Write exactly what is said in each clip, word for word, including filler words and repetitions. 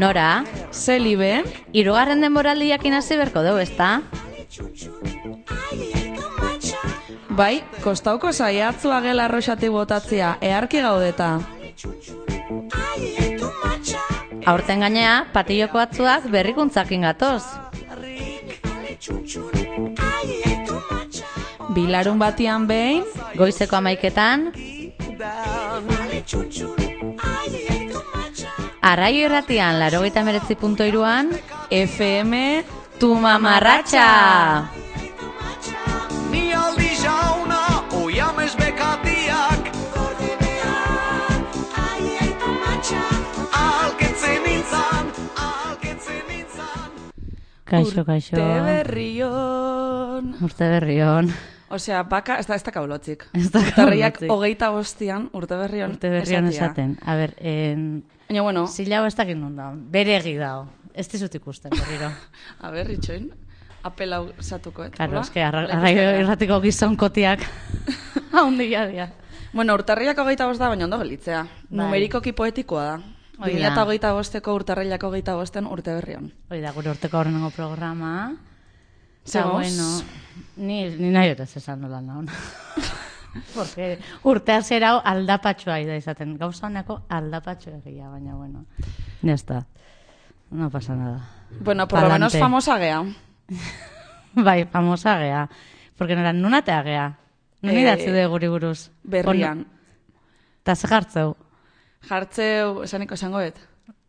Nora. Zelibe. Hirugarren denboraldiak hasi berko dugu, ezta? Bai, kostauko saiatzua gela arroxati botatzea, eharki gaudeta. Aurten gainea, patilloko atzuak berrikuntzakin gatoz. Bilarun batian behin, goizeko amaiketan, Arraio irratian, laurogeita hemeretzi puntu hiruan, F M Tu mamarratxa! Ni aldi jauna, oiamez bekatiak, alketzen nintzan, alketzen nintzan. Kaixo, kaixo. Urte berrion. Urte berrion. Osea, baka, ez da, ez da kaulotzik. Ez da Urtarriak kaulotzik. hogeita bostian, urte berrion. Urte berrion esatia. esaten. A ber, en... Baina, bueno. Zila hau ez dakit non da. Bere egi dao. Ez dizut ikusten, berriro. A ber, itxoin. Apelau zatuko, et. Karo, eske, arraio irratiko gizonkotiak. Haundia dia. Bueno, urtarriak hogeita bost da, baina ondo gelitzea. Bai. Numerikoki poetikoa da. Hoi bi da. mila hogeita bosteko urtarrilak hogeita bosten urte berrion. Hoi da, gure urteko horrengo programa. Eta, Zegoz? bueno, ni, ni nahi dut ez esan nola naun. Porque urtea zera aldapatxoa da izaten. Gauza honeko aldapatxo egia, baina, bueno. Nesta. No pasa nada. Bueno, por lo menos Palante. famosa gea. Bai, famosa gea. Porque nora, nunatea gea. Nun Eh, idatzi de guri buruz. Berrian. Eta ze jartzeu. Jartzeu, esaniko esangoet.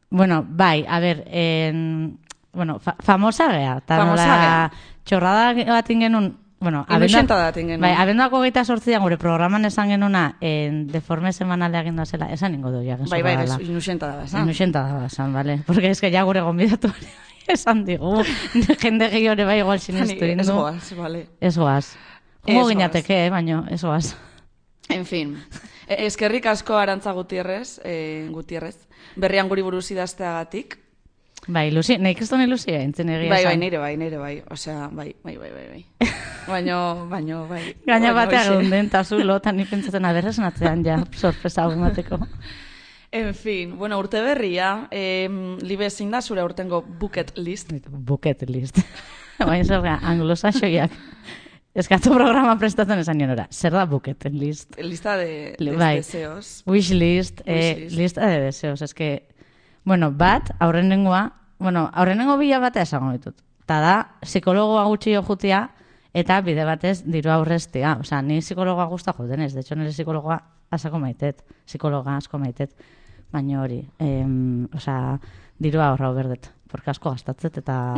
Bueno, bai, a ber, en, bueno, fa famosa gea. Ta Famosa nola, gea. txorrada bat ingenun, bueno, Inuxenta da tingenun. bai, abenduako geita sortzian gure programan esan genuna, en deforme semanalea egin zela, esan ingo du, ja, Bai, bai, inuxenta da, esan. Inuxenta da, esan, vale? Porque es que ja gure gonbidatu esan digu, jende gehiore bai igual sinistu Ez indu. goaz, bale. Ez goaz. Ez Hugo goaz. ginateke, eh, baino, ez goaz. En fin. E, eskerrik asko Arantza Gutierrez, eh, Gutierrez. Berrian guri buruz idazteagatik. Bai, Luzi, nahi kriston ilusia, entzen egia Bai, bai, esan. nire bai, nire bai. Osea, bai, bai, bai, bai, bai. Baino, baino, bai. Gaina Baino, batea hoxe. geunden, eta zulo, eta ni pentsatzen aberrezen atzean ja, sorpresa hau emateko. En fin, bueno, urte berria, eh, libe zein da zure urtengo bucket list. Bucket list. Baina zer da, anglosaxoiak. Eskatu programa prestatzen esan nionora. Zer da bucket list? Lista de, de Bai. deseos. Wish list, eh, Wish list. lista de deseos. Es que, bueno, bat, aurrenengoa, bueno, aurrenengo bila batea esango ditut. Ta da, psikologoa gutxi jo jutia, eta bide batez diru aurreztea. Osea, ni psikologoa gusta joten ez. De hecho, nire psikologoa asako maitet. Psikologa asko maitet. Baina hori, em, osea, dirua ahorra berdet. Porque asko gastatzet, eta,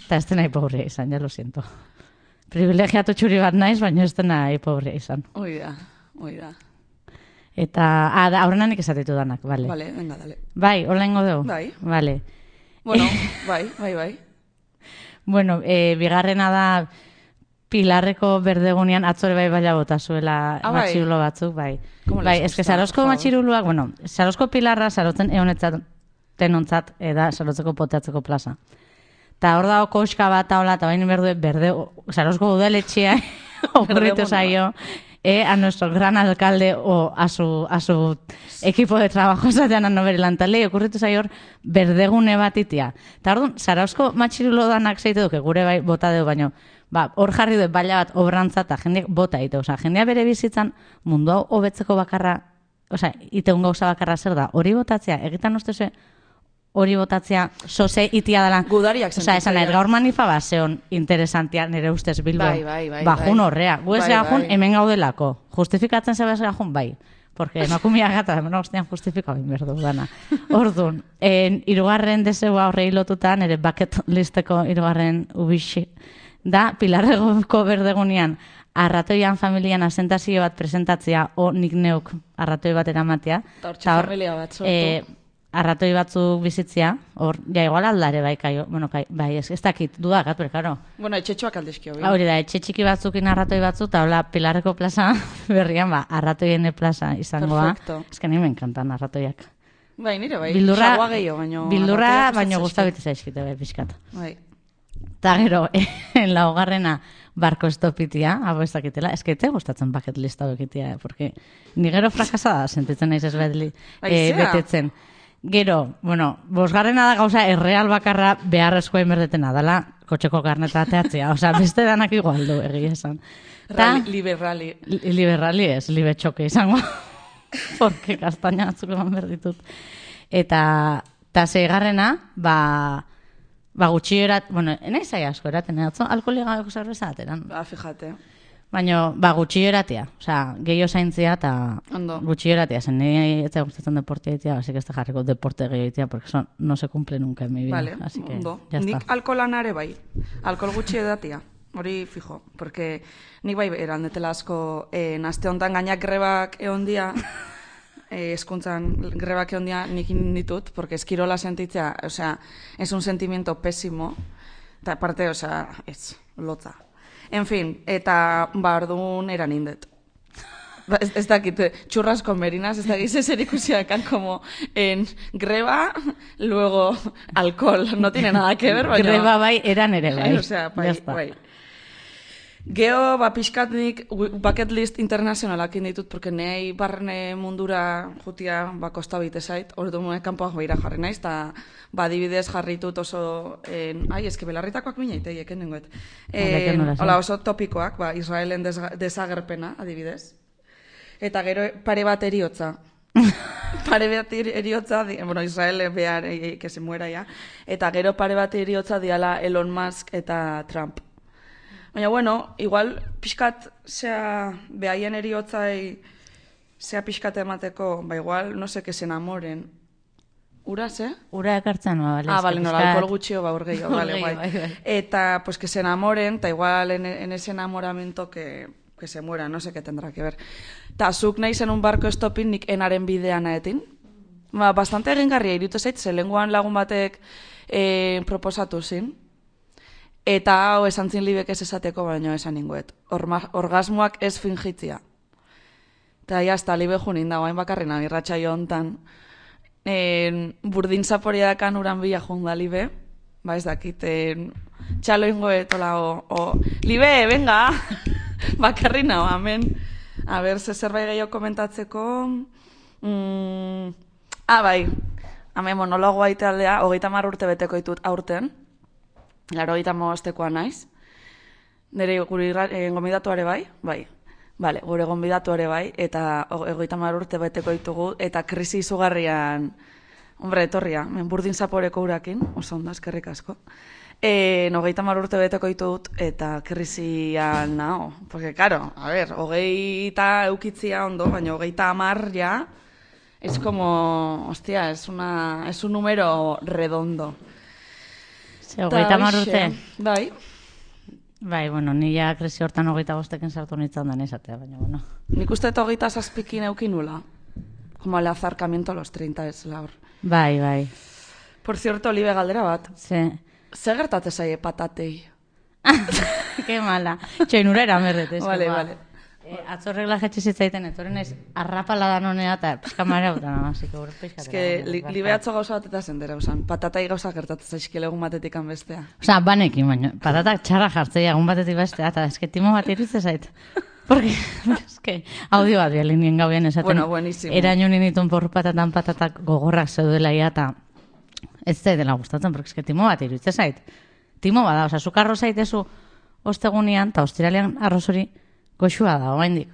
eta ez dena hipogria izan, ja lo siento. Privilegiatu txuri bat naiz, baina ez dena hipogria izan. Hoi da, hoi da. Eta, ah, da, aurrenanik esatitu danak, bale. Vale, venga, dale. Bai, hola ingo dugu? Bai. Vale. Bueno, bai, bai, bai. Bueno, eh, bigarrena da Pilarreko berdegunean atzore bai baila bota zuela Ah, bai. matxirulo batzuk, bai. ¿Cómo les Bai, gusta, eske Sarozko por favor? matxiruluak, bueno, Sarozko Pilarra sarotzen ehonetzat tenontzat eda Sarotzeko poteatzeko plaza. Ta hor dago koska bat hola, ta bain berde berde Sarozko udaletxea ocurritu zaio eh, a nuestro gran alcalde o a su a su equipo de trabajo esatean anobere lantale ocurritu zaio hor berdegune bat itia. Ta orduan Sarozko matxirulo danak zeitu duke gure bai bota deu baino ba, hor jarri du baila bat obrantza eta jendeak bota ite, osea, jendea bere bizitzan mundu hau hobetzeko bakarra, osea, iteun gauza bakarra zer da, hori botatzea, egitan ustezue hori botatzea soze itia dela. Gudariak Osea, esan nahi, sentitzea. gaur manifa baseon interesantia nire ustez Bilbo. Bai, bai, bai, Bajun bai. horrea. Gu ez Bai, gajun bai. hemen gaudelako. Justifikatzen zebaz gajun, bai. Porque emakumia gata, hemen guztian justifika bain berdu dana. Orduan, en, irugarren deseua horrei lotuta, nire bucket listeko irugarren ubixi, da Pilarreko berdegunean arratoian familian asentazio bat presentatzea, o nik neuk arratoi bat eramatea. Eta hortxe Ta hor, familia bat sortu. eh, arratoi batzuk bizitzea, hor, ja, igual aldare bai, kaio, bueno, kai, bai, ez, ez dakit, dudakat, pero, claro. Bueno, etxetxoak aldizkio. bi. Hori da, etxe txiki batzukin arratoi batzuk, eta hola, Pilarreko plaza berrian, ba, arratoien plaza izangoa. Perfecto. Ez que ni me encantan arratoiak. Bai, nire bai. Bildurra, Jagoa gehiago, baino. bildurra, arratoiak baino gustatzen guztabite zaizkite, bai, pixkat. Bai. Eta gero, en laugarrena, barko estopitia, hau ez dakitela, ez que te gustatzen bucket list hau ekitea, eh, porque ni gero frakasada sentitzen naiz ez bedli, eh, Aizea. betetzen. Gero, bueno, bosgarrena da gauza erreal bakarra beharrezkoa inberdetena dela, kotxeko karneta ateatzea. Osea, beste danak igual du egia esan. Rally, liberali. Liberali ez, libe txoke izango. Porque kastaina atzuk eman berditut. Eta, eta zeigarrena, ba, ba gutxi erat, bueno, enai zai asko eraten, atzo, alkoholiga gako zerbeza ateran. Ba, fijate. Baina, ba, gutxi eratea. Osea, gehiago zaintzia eta Ondo. gutxi eratea. Zen, nire ez da gustatzen deporte egitea, así que ez da jarriko deporte gehiago egitea, porque eso no se cumple nunca en mi vida. Vale, Así que, ondo. ya Nik está. alkoholanare bai. Alkohol gutxi edatia. Hori fijo. Porque nik bai erandetela asko eh, aste hontan gainak grebak egon dia, eh, eskuntzan grebak egon dia nik ditut, porque eskirola sentitzea, o sea, es un sentimiento pésimo. Eta aparte, o sea, ez, lotza. En fin, eta ba, orduan eran indet. Ba, ez, ez dakit, churrasco merinas, ez dakit zer ikusiakan como en greba, luego alcohol. No tiene nada que ver, baina... Greba bai, eran ere bai. O sea, bai, Ya está. bai. Geo, ba, pixkat nik bucket list internazionalak ditut, porque nahi barne mundura jutia ba, kosta bite zait, ordu mue kanpoak behira jarri naiz, eta ba, adibidez jarritut oso, en, ai, eske belarritakoak minaitei, eken nengoet. Horrek nola zen. Hola, oso topikoak, ba, Israelen desga- desagerpena, adibidez. Eta gero pare bat eriotza. Pare bat eri- eriotza, di, bueno, Israel behar, eh, que se muera ya. Eta gero pare bat eriotza diala Elon Musk eta Trump. Baina, bueno, igual pixkat, zea, behaien eriotzai, zea pixkat emateko, ba igual, no sé, que se enamoren. Uraz, eh? Ura ekartzen, ba, bale. Ah, eske vale, no, pixkat- alkohol gutxio, ba, urgeio, vale, Urgeio, guai. bai, bai. Eta, pues, que se enamoren, eta igual en, en ese enamoramiento que, que se muera, no sé qué tendrá que ver. Ta, zuk nahi zen un barko estopin nik enaren bidean aetin. Ba, bastante egingarria irutu zait, ze lenguan lagun batek eh, proposatu zin. Eta hau esan zin libek ez esateko, baino esan ninguet. Orma, orgasmoak ez fingitzia. Eta jazta, libe junin da, guain bakarrena, irratxaio hontan. En, burdin zaporia dakan uran bila junda libe. Ba ez dakit, en, txalo ingoet, hola, o, o, libe, venga! Bakarrina, amen. A ber, ze zerbait gehiago komentatzeko... Mm, ah, bai, hemen monologoa italdea, hogeita hamar urte beteko ditut aurten. Laro hogeita hamabostekoa naiz. Nire gure eh, gonbidatuare bai, bai. Vale, gure gonbidatuare bai, eta hogeita hamar urte beteko ditugu, eta krisi izugarrian, hombre, etorria, men burdin zaporeko urakin, oso ondo, eskerrik asko. Eh, hogeita hamar urte beteko ditut, eta krisian nao. Porque, claro, a ver, hogeita eukitzia ondo, baina hogeita hamar ja, es como, hostia, es, una, es un número redondo. Ze, hogeita hamar hoxe, urte. Bai. Bai, bueno, ni ja krisi hortan hogeita bostekin sartu nintzen da esatea, baina, bueno. Nik uste eta hogeita zazpikin eukin nula. Como el azarkamiento a los treinta ez laur. Bai, bai. Por cierto, libe galdera bat. Ze, Zer gertate zaie patatei? que mala. Txoinura eramerret, ez. Vale, vale. Eh, atzo regla jetxe zitzaiten, etorren naiz arrapala da nonea, eta pixka marea utan, así que hori pixka. Ez que li, libe atzo gauza bat eta zendera, usan. Patatai gauza gertatzen zaizkile egun batetik bestea. Osa, banekin, baina, patatak txarra jartzea egun batetik bestea, eta eske timo bat iritze zait. Porque, eske, audio bat bialinien gauen esaten. Bueno, buenísimo. Eraino ninitun porru patatan patatak gogorrak zeudela ia, eta ez zaidela gustatzen, porque eske timo bat iritze zait. Timo bada, osa, zuk arroz zaitezu ostegunian, eta ostiralean arroz hori goxua da, oraindik.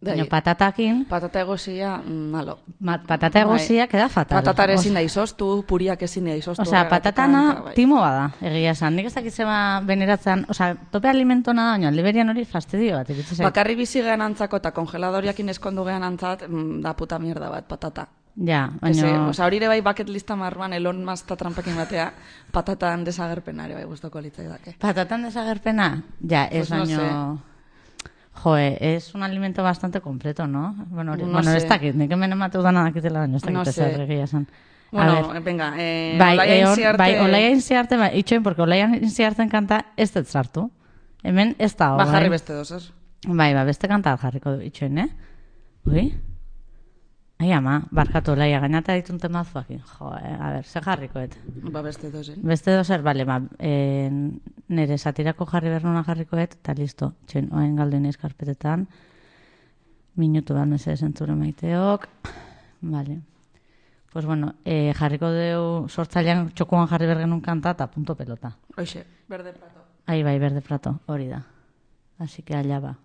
Baina patatakin, Patata egozia, mm, malo. ma, patata egosia queda fatal. Patatar ezin da izoztu, puriak ezin da izoztu. Osea, horregatik, patatana eta bai. timo bada, egia esan. Nik ez dakit zema beneratzen, osea, tope alimentona da, baina liberian hori fastidio bat, iritsi zait. Bakarri bizi gehan antzako eta kongeladoriakin eskondu gehan antzat, mm, da puta mierda bat, patata. Ja, Ese, baina... osea, hori ere bai bucket lista marruan Elon Musk eta Trumpakin batea, patatan desagerpena ere bai gustoko litzaidake. Patatan desagerpena? Ja, ez Pues no baino... Joe, es un alimento bastante completo, ¿no? Bueno, hori- No bueno ez sé. dakit, nik hemen emateu dana dakitela, baina ez dakit No ez sé. egia esan. A Bueno, ver, venga, eh, bai, Olaia eh, hor- Inziarte- bai, olaia inziarte, bai, itxoin, porque olaia inziarten kanta ez dut sartu. Hemen ez da, Ba, jarri bai. beste dozer. Bai, ba, beste kanta bat jarriko du itxoin, eh? Ui? Ai, ama, barkatu, olaia, gainata ditun temazuakin. Jo, eh? A ber, ze jarrikoet. Ba, beste dozer. Beste dozer, bale, ba, eh, nire satirako jarri bernuna jarrikoet, eta listo, txoin, oain galdu iniz karpetetan. Minutu bat mesedez entzure maiteok. Bale. Pues bueno, eh, jarriko deu sortzailean txokoan jarri bergenun kanta eta punto pelota. Hoxe, berde prato. Ahí bai, berde prato, hori da. Así que allá va.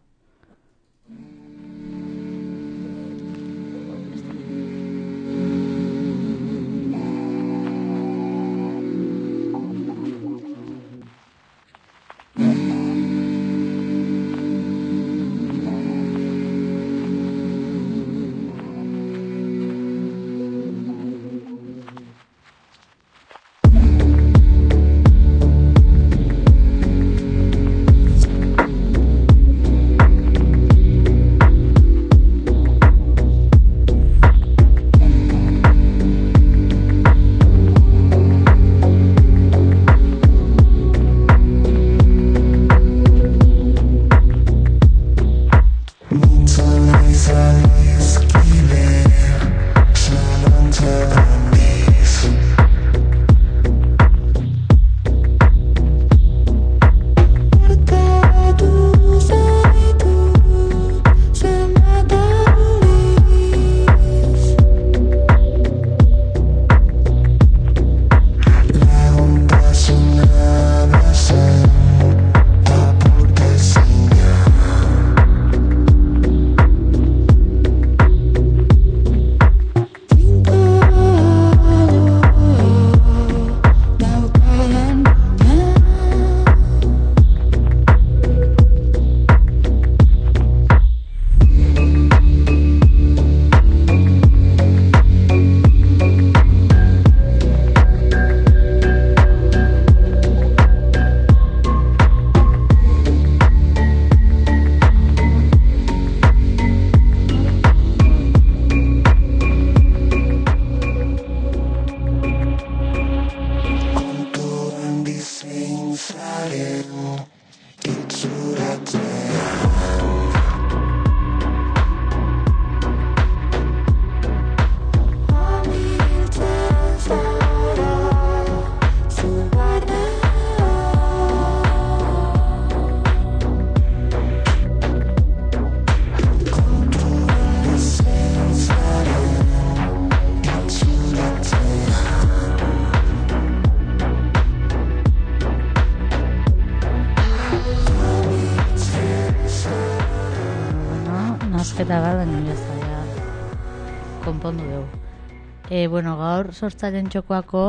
Eta bat, baina jaztaia konpondu dugu. E, bueno, gaur sortzaileen txokoako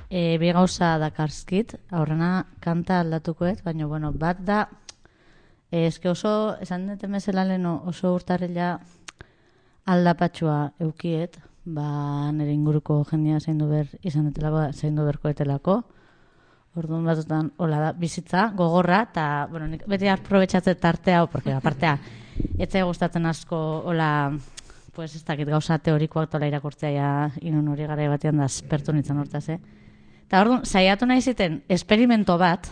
e, bi gauza dakarskit, aurrena kanta aldatukoet, baina bueno, bat da, e, eske oso, esan deten bezala leno, oso urtarrila aldapatxua eukiet, ba nire inguruko jendia zaindu ber, izan detelako, zaindu berkoetelako, orduan batutan, hola da, bizitza, gogorra, eta, bueno, nik beti aprobetxatzen tartea, hau, porque apartea, etzai gustatzen asko, hola, pues ez dakit gauza teorikoak tola irakurtzea ja, inun hori gara batean da aspertu nintzen hortaz, eh? Eta orduan, saiatu nahi ziten, esperimento bat,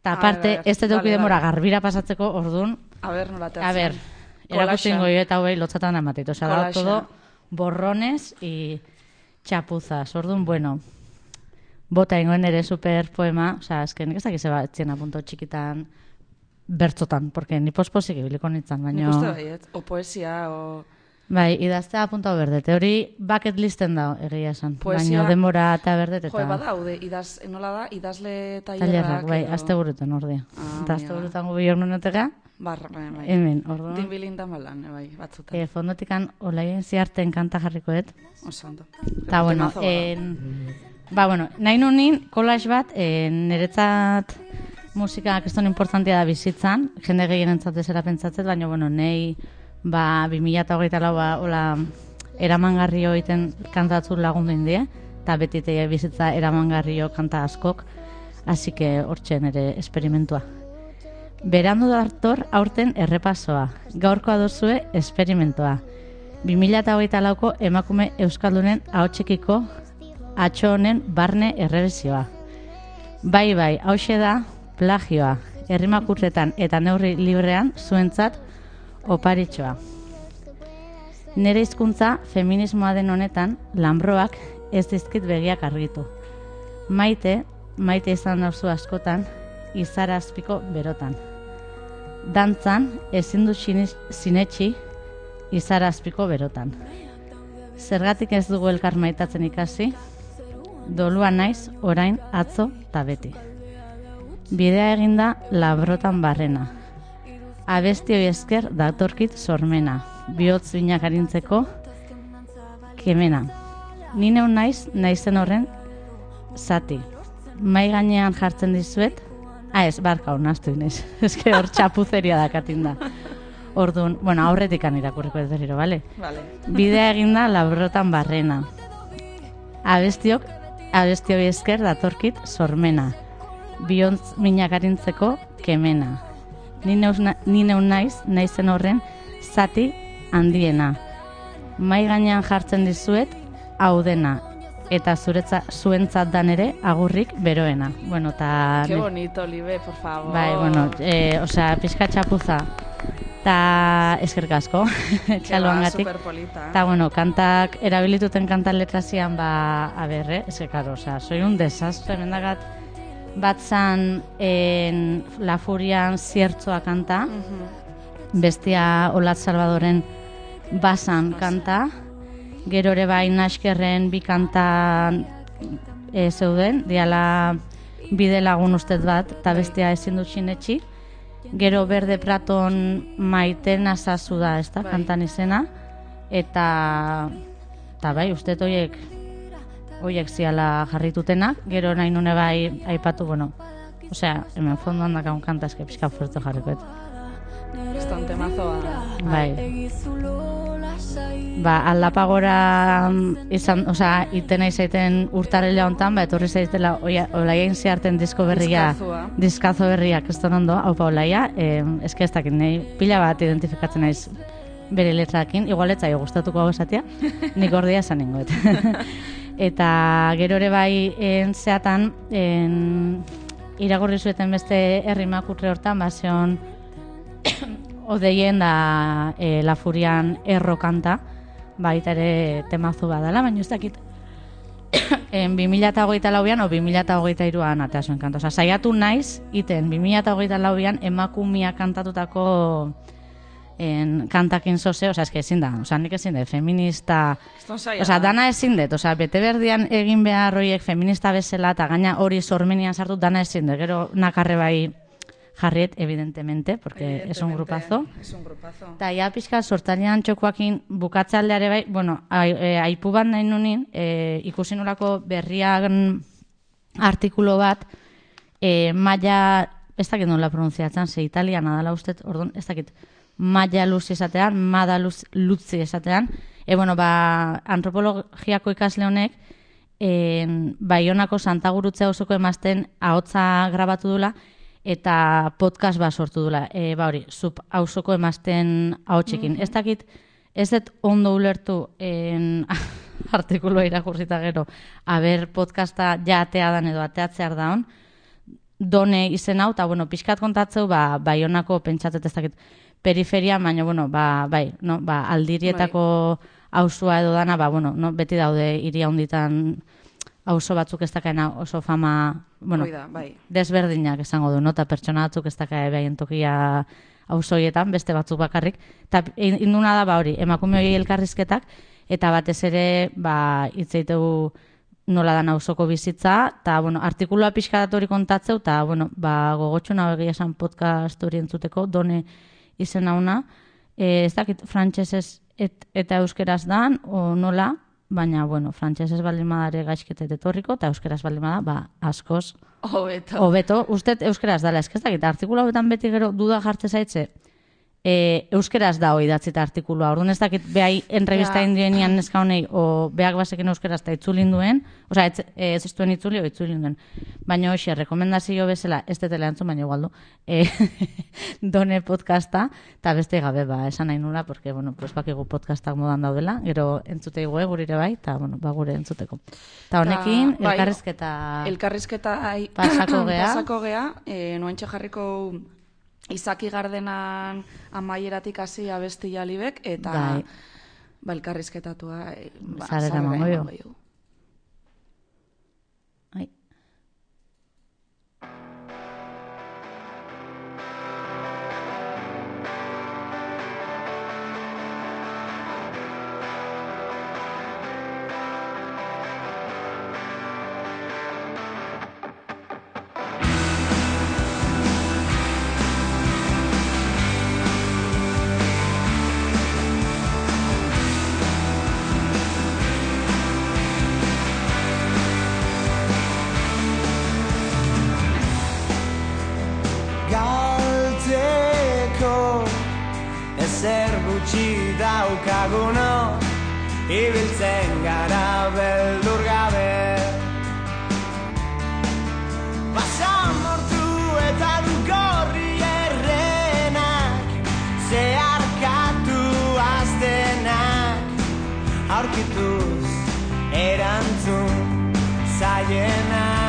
eta aparte, ez dut vale, demora vale. Garbira pasatzeko, orduan, a ber, nola a ber, erakutzen goi eta hoi lotzatan amatit, oza, da todo borrones y chapuzas, orduan, bueno, bota ingoen ere super poema, oza, esken, nik ez dakize bat, txena punto txikitan, bertzotan, porque ni posposik ibiliko nintzen, baina... Nik uste baiet, o poesia, o... Bai, idaztea apunta berdete, hori bucket listen da, egia esan, poesia... baina denbora eta berdete eta... Jo, badaude, idaz, nola da, idazle tailerrak... Tailerrak, bai, edo... azte burutan ordia. Ah, eta azte burutan gubi hor nonetega... Barra, bai, bai. Hemen, orduan... Din bilindan balan, bai, batzutan. E, fondotikan, olaien ziarten kanta jarrikoet. Oso, ondo. Eta, bueno, en... ba, bueno, nahi nunin, collage bat, en, niretzat... Musika keston importantia da bizitzan, jende gehienentzat ezera pentsatzet, baina, bueno, nei, ba, bi mila hogeita lau, ba, hola, eramangarrio egiten kantatzu lagundu indie, eta beti teia bizitza eramangarrio kanta askok, hasi que hortzen ere esperimentua. Berandu dator aurten errepasoa, gaurkoa duzue esperimentua. bi mila hogeita lauko emakume euskaldunen ahotsekiko atxo honen barne errebesioa. Bai, bai, hauxe da, plagioa, herrimakurretan eta neurri librean zuentzat oparitxoa. Nere hizkuntza feminismoa den honetan, lanbroak ez dizkit begiak argitu. Maite, maite izan nauzu askotan, izara azpiko berotan. Dantzan, ezin du sinetxi, izara azpiko berotan. zergatik ez dugu elkar maitatzen ikasi, dolua naiz orain atzo ta beti. Bidea eginda labrotan barrena. Abestioi esker datorkit sormena, bihotz binak arintzeko kemena. Ni neu naiz, naizen horren zati. Mai gainean jartzen dizuet, ah ez, barka honaztu inez, eske hor txapuzeria dakatin da. Orduan, bueno, aurretik irakurriko ez berriro, bale? Vale. Bidea eginda labrotan barrena. Abestiok, abestioi esker datorkit sormena. Biontz minak arintzeko kemena. Ni neus na, ni neu naiz, naizen horren zati handiena. Mai gainean jartzen dizuet hau dena. Eta zuretza, zuentzat dan ere agurrik beroena. Bueno, ta... Qué bonito, Libe, por favor. Bai, bueno, eh, osea, pixka txapuza. Ta eskerrik asko, txaloangatik. Superpolita. Ta, bueno, kantak, erabilituten kantan letrazian, ba, a ber, eh? Ez que, claro, osea, soy un desastre, mendagat, bat zan en La Furian ziertzoa kanta, Mhm. bestia Olat Salvadoren basan kanta, gero ere bai Naskerren bi kanta e, zeuden, diala bide lagun ustez bat, eta bestia ezin dut sinetxi. Gero Berde Praton Maiten azazu da, ez da, Bai. kantan izena. Eta, eta bai, uste horiek horiek ziala jarritutenak. Gero nahi nune bai aipatu, bueno, osea, hemen fondoan dakaun kanta eske pixka fuerte jarrikoet. Eston temazoa. Bai. Ba, aldapagora izan, osea, itena izaiten urtarela hontan, ba, etorri zaitela Olaien zeharten disko berria, Diskazua. diskazo berria, keston ondo, haupa Olaia, eh, eske ez dakit, nahi pila bat identifikatzen naiz bere letrakin, igual ez zaio gustatuko hau esatia, nik ordia esan ningoet. Eta gero ere bai en zeatan, en, iragorri zueten beste herrimakurre hortan, ba, zeon odeien da e, La Furian erro kanta, baita ere temazu badala, baina ez dakit en bi mila hogeita lauan o bi mila hogeita hiruan atea zuen kanta. Osa, saiatu naiz, iten bi mila hogeita lauan emakumia kantatutako en, kantakin zoze, osa, eske ezin da, osa, nik ezin dut, feminista, Eston saia. osa, dana ezin dut, osa, bete berdian egin behar horiek feminista bezala, eta gaina hori sormenian sartu, dana ezin dut, gero nakarre bai jarriet, evidentemente, porque es un grupazo. Es un grupazo. Eta ja pixka sortalian txokoakin bukatzaldeare bai, bueno, ai, e, aipu bat nahi nunin, e, ikusi nolako berriagan artikulo bat, e, maia, ez dakit nola pronuntziatzen, ze italiana dala ustet, orduan, ez dakit, maia luz esatean, mada luz, lutzi esatean, e, bueno, ba, antropologiako ikasle honek, e, Baionako Santagurutze auzoko emazten ahotsa grabatu dula, eta podcast bat sortu dula, e, ba hori, sub auzoko emazten ahotsekin. Mm -hmm. Ez dakit, ez dut ondo ulertu en, artikuloa irakurrita gero, aber podcasta ja atea dan edo ateatzear daun, done izen hau, eta bueno, pixkat kontatzeu, ba, Baionako pentsatet ez dakit, periferia, baina, bueno, ba, bai, no, ba, aldirietako auzua edo dana, ba, bueno, no, beti daude hiria hunditan auzo batzuk ez dakaena oso fama, bueno, Da, bai. desberdinak esango du, no? Eta pertsona batzuk ez dakae behaien tokia auzoietan, beste batzuk bakarrik. Eta induna da, ba hori, emakume hori elkarrizketak, eta batez ere, ba, hitzeitegu nola dan auzoko bizitza, eta, bueno, artikulua pixka hori kontatzeu, eta, bueno, ba, gogotxuna egia esan podcast hori entzuteko, done izen hauna, e, ez dakit frantsesez et, eta euskeraz dan, o nola, baina, bueno, frantsesez baldin badare gaizketet etorriko, eta euskeraz baldin bada, ba, askoz, Hobeto. hobeto, usted euskeraz dala, ez dakit, artikulu hauetan beti gero duda jartze zaitze, e, euskeraz da hoi datzita artikulua, orduan ez dakit behai entrevista Ja. indienian neska honei, o beak basekin euskeraz eta itzulin duen, osea, ez, ez ez duen itzuli, o itzulin duen, baina hoxe, rekomendazio bezala, ez detela entzun, baina igualdu, e, done podcasta, eta beste gabe, ba, esan nahi nula, porque, bueno, pues bakigu podcastak modan daudela, gero entzute igue gurire bai, eta, bueno, ba, gure entzuteko. Eta honekin, Ta, bai, elkarrizketa... Elkarrizketa ai, Pasako gea. pasako gea, e, noentxe jarriko Izaki Gardenan amaieratik hasi abesti jalibek, eta Bai. ba, elkarrizketatua e, ba, Sarera sarera emango emango dio. dio. Ai. gutxi daukaguno, ibiltzen gara beldur gabe. Basamortu eta lugorri errenak, zeharkatu aztenak, aurkituz erantzun zaienak.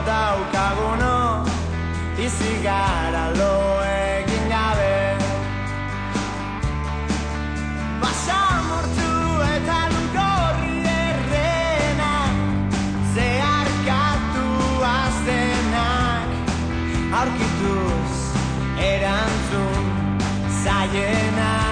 Daukaguno, bizi gara lo egin gabe. Basamortu eta lugorri errenak, zeharkatu aztenak, aurkituz erantzun zaienak.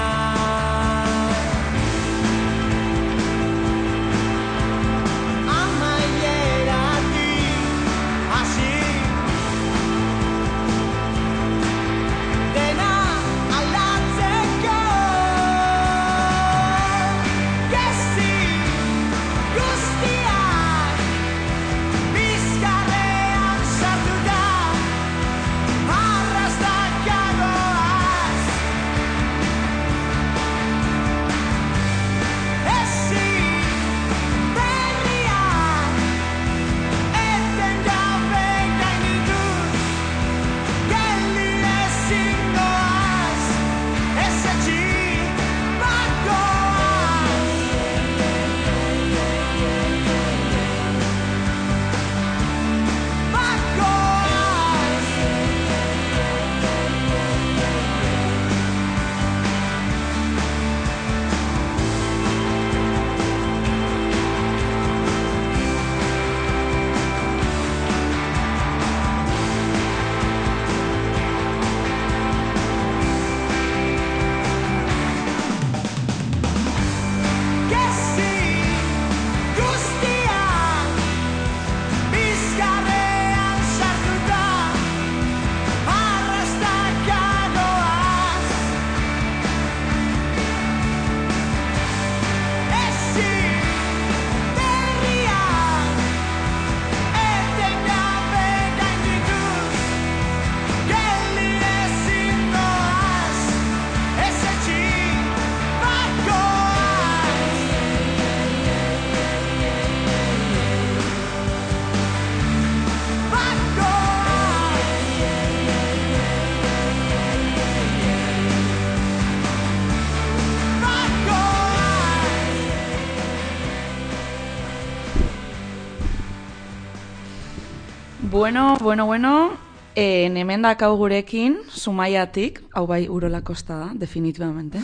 Bueno, bueno, bueno, eh, hemen dakau gurekin, Zumaiatik, hau bai Urola Kosta da, definitivamente,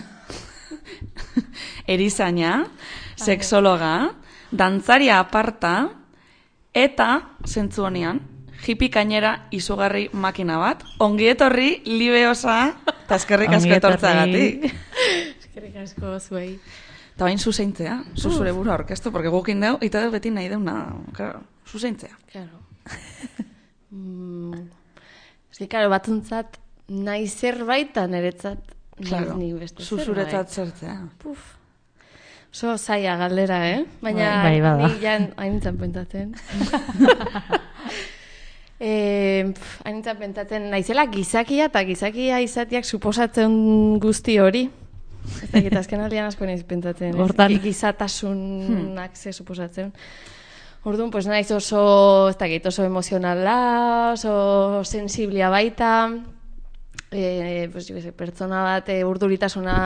erizaina, sexologa, dantzaria aparta, eta, zentzu honean, hippie kainera izugarri makina bat, ongi etorri, libe osa, eta eskerrik asko etortzagatik. Eskerrik asko zuei. Eta bain zuzeintzea, zuzure burua orkestu, porque gukin deu, eta deu beti nahi deuna, claro, zuzeintzea. Claro. mm, Eski, claro, batzuntzat nahi zerbaitan eretzat claro, ni beste zuzuretzat zertzea. Puf. So zaila galdera, eh? Baina bai, bai, ni jan hainitzen pentatzen. eh, hainitzen pentatzen naizela gizakia eta gizakia izatiak suposatzen guzti hori. Ez da, eta azken aldean asko naiz pentatzen. Hortan. Gizatasunak ze suposatzen. Orduan, pues naiz oso, ez dakit, oso emozionala, oso sensiblia baita, e, pues, jo, pertsona bat e, urduritasuna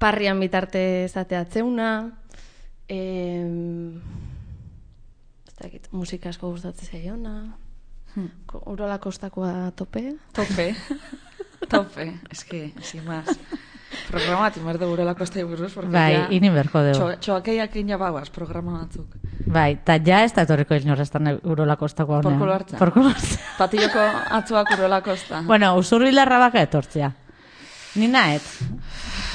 parrian bitarte zateatzeuna, e, ez dakit, musika asko gustatzen zaiona, hmm. Urola Kostakoa tope. Tope, tope, eski, sin más. Programa bat inberde Urola Kostai buruz, porque bai, ya... ini berko dugu. Txoakeiak ina bauaz, programa batzuk. Bai, eta ja ez da etorriko inorrestan Urola Kostako honean. Porkulo hartza. Porkulo hartza. Patilloko atzuak Urola Kosta. Bueno, usurbilarra baka etortzea. Ni naet.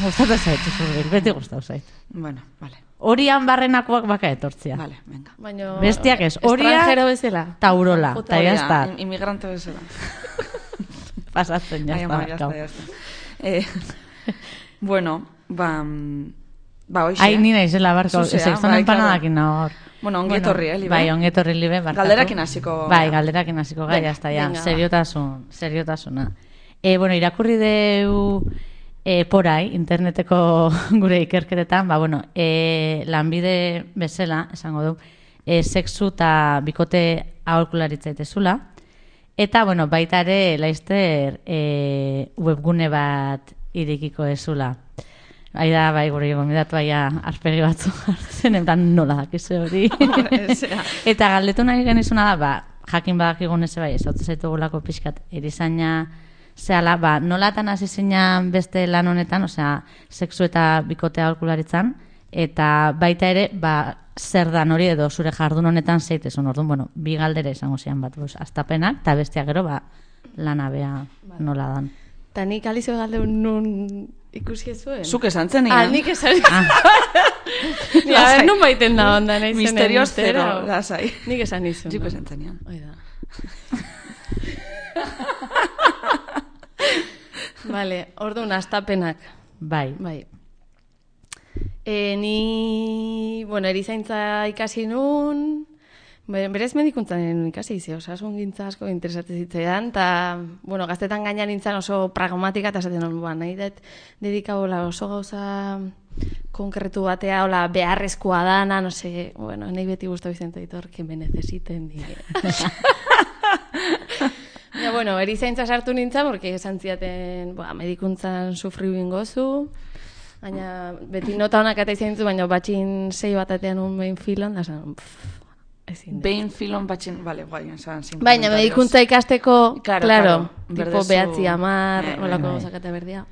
Gustatu zait, usurbil, beti gustatu zait. Bueno, vale. Horian barrenakoak baka etortzea. Vale, venga. Baina... Bestiak ez, horia Estrangero bezala. eta Urola. Puta, Eta Hori da, jazta, im- Inmigrante bezala. pasatzen Ai, ama, jazta. jazta, jazta. Eh, bueno, ba... mm, Ba, hoxe. Ai, ni naizela barko, Zuzea, sexton bai, empanadakin hor. Bueno, ongi etorri, eh, Libe? Bai, ongi etorri, Libe, barkatu. Galderakin hasiko Bai, gara. galderakin hasiko gai, Venga, hasta ja, venga, va. seriotasun, seriotasuna. E, bueno, irakurri deu e, porai, interneteko gure ikerketetan, ba, bueno, e, lanbide bezala, esango du, e, sexu eta bikote aholkularitza itezula, eta, bueno, baita ere, laizter, e, webgune bat irekiko ezula. Bai da, bai, gure gomidatu baia arpegi batzu jartzen, entan nola dakize hori. Zera. Eta galdetu nahi genizuna da, ba, jakin badakigun eze bai, ez hau zaitugulako pixkat erizaina zehala, ba, nolatan hasi zinan beste lan honetan, osea, sexu eta bikotea aholkularitzan, eta baita ere, ba, zer dan hori edo zure jardun honetan zeitezun, orduan, bueno, bi galdera izango zian bat, bus, astapenak, eta bestia gero, ba, lanabea nola dan. Ta nik alizio galde nun ikusi zuen. Zuk esan zen Ah, egan. nik esan... Ni, a ver, nun baiten da onda nahi zenen. Misterios mistero. zero, lasai. Nik esan izun. Zuk esan zenean. Hoi da. Vale, orduan, astapenak. Bai, Bai. E, ni, bueno, erizaintza ikasi nun, be- berez medikuntzan ikasi izi, osasun gintza asko interesatzen zitzaidan, eta, bueno, gaztetan gaina nintzen oso pragmatika, eta esaten non, ba, nahi dut dedikabola oso gauza konkretu batea, hola, beharrezkoa dana, no sé, bueno, nahi beti guztu bizenta ditor, que me necesiten, di. Ja, bueno, erizaintza sartu nintzen, porque esan ziaten, ba, medikuntzan sufriu ingozu, baina beti nota honak eta izan ditzu, baina batxin sei bat atean un behin filon, da zan, pff, ezin dut. Behin filon batxin, vale, guai, esan, sin Baina comentarios. medikuntza ikasteko, Claro, claro, claro, tipo berdezu- behatzi amar, Eh, holako bai. gauzak berdia.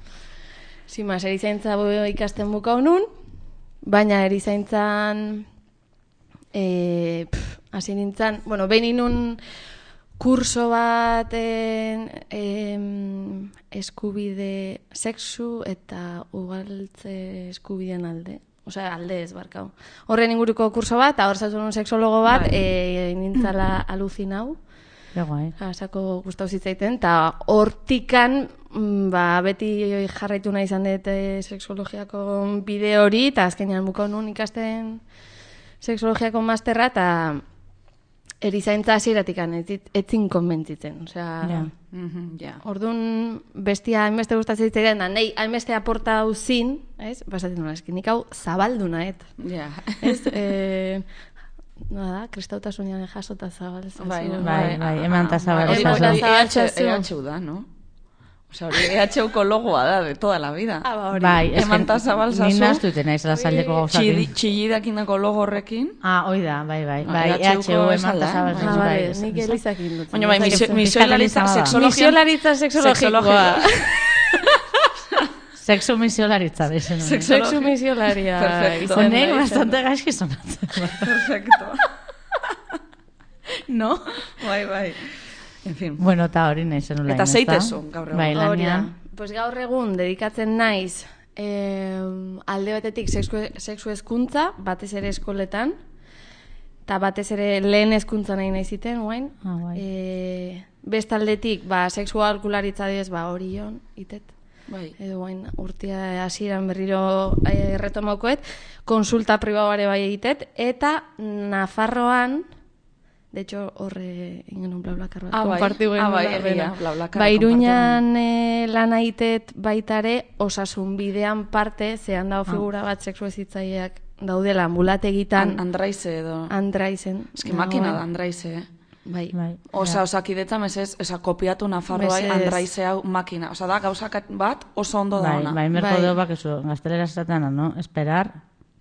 Zima, erizaintza bo- ikasten bukau nun, baina erizaintzan, e, pff, hasi nintzen, bueno, behin inun kurso baten em, eskubide sexu eta ugaltze eskubideen alde. Osea, alde ez barkau. Horren inguruko kurso bat, eta hor zazun un sexologo bat, Bai. e, nintzala aluzinau. ja guai. Asako gustau zitzaiten, eta hortikan, mm, ba, beti jarraitu nahi izan dut eh, sexologiako bide hori, eta azkenean bukau nun ikasten sexologiako masterra, eta erizaintza hasieratik etzin konbentzitzen. Osea, Ja. Mhm, ja. orduan bestia hainbeste gustatzen zitzaidan, da nahi hainbeste aporta hau zin, ez? Basatzen nola, eski nik hau zabaldu nahet. Ja. Ez? Eh, Nada, kristautasunean jasota zabaltzen. Bai, zuen. Bai, bai, eman ta Hori zabal hori ezazu. hori- E H zabaltzazu. E H U da, no? Osea, hori E H U ko logoa da, de toda la vida. Ah, ba, hori. Bai, ez Eman ta zabal ni zazu. naztu iten naiz lasaldeko Txilli- gauzakin. Txillidakindako logo horrekin. Ah, hoi da, bai, bai. Ah, Bai, E H U ko E H U esan eman da, ta zabal bai. Ah, zazu, bai. vale, ez- nik ez- elizakin dut. Baina bai, misio- Fiskalizazioa misiolaritza da. sexologian... Misiolaritza sexologikoa. Sexu misiolaritza dezen. Sexu- Sexu misiolaria. Perfecto. izan da, Honek izan da. bastante gaizki sonatzen. Perfecto. No? Bai, bai. En fin. Bueno, eta hori nahi zen ulain, Eta ezta? zeitezu, gaur egun. Bai, Hori da. lanean. Pues gaur egun dedikatzen naiz eh, alde batetik sexu, sexu hezkuntza, batez ere eskoletan, eta batez ere lehen hezkuntza nahi nahi ziten, guain. Ah, bai. Eh, bestaldetik, ba, sexu aholkularitza diez, ba, hori jon, itet. Bai. Edo guain urtia hasieran berriro eh, retomaukoet, konsulta pribauare bai egitet, eta Nafarroan, de hecho, horre ingen bla bakar bat, Ah, bai. konpartiu Ah, bai, genuen egia, dena. BlaBlaCarra Ba, Iruñan eh, lan aitet baitare osasun bidean parte, zehan dago figura bat sexu hezitzaileak daudela ambulategitan An Andraize edo... Andraizen. Eski makina da Andraize, eh? Bai. Bai. Osa, osakidetza mesez, esa kopiatu Nafarroai Mesedez. Andraize hau makina. Osa, da, gauzak bat oso ondo da Bai, ona. bai, merko Bai. deu bak eso, gaztelera esaten, ¿no? Esperar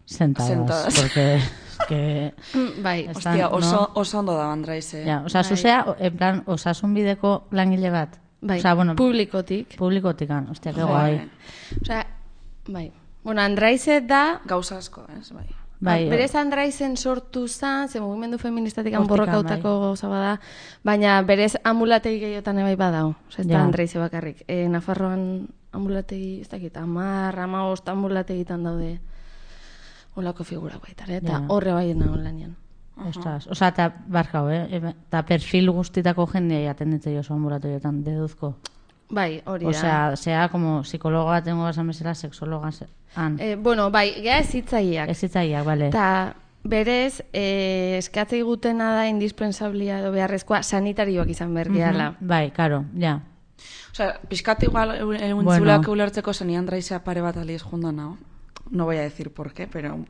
sentadas. Sentadas. Porque es que... Mm, Bai. Ez Ostia, no? oso, oso ondo da Andraize. Ja, osa, Bai. zuzea, en plan, osasun bideko langile bat. Bai. Osa, bueno, Publikotik. publikotikan, ostia, que Bai. guai. Osea, bai. Bueno, Andraize da Gauza asko, ez? Bai. Bai, Berez Andraizen sortu zen, ze mugimendu feministatik Hortik, borrokautako gauza bada, baina berez amulategi gehiotan ebai badao. Osa, ez da Ja. Andraize bakarrik. E, Nafarroan amulategi, ez dakit, amar, amaost amulategitan daude olako figura baitan, eta Ja. horre bai nago lanian. Ostras, oza, eta barkau, eh? Eta perfil guztitako jendea jaten ditzei oso ambulatorioetan, deduzko. Bai, hori da. Osea, sea como psikologa tengo esan bezala, sexologa han. Eh, bueno, bai, geha ez hitzaileak. Ez hitzaileak, bale. Eta berez, eh, eskatzei gutena da indispensablia edo beharrezkoa sanitarioak izan behar gehala. Bai, karo, ja. Osea, pixkat igual egun Bueno. zulak ulertzeko zen Andraizea pare bat aliz jundan nao. No voy a decir por qué, pero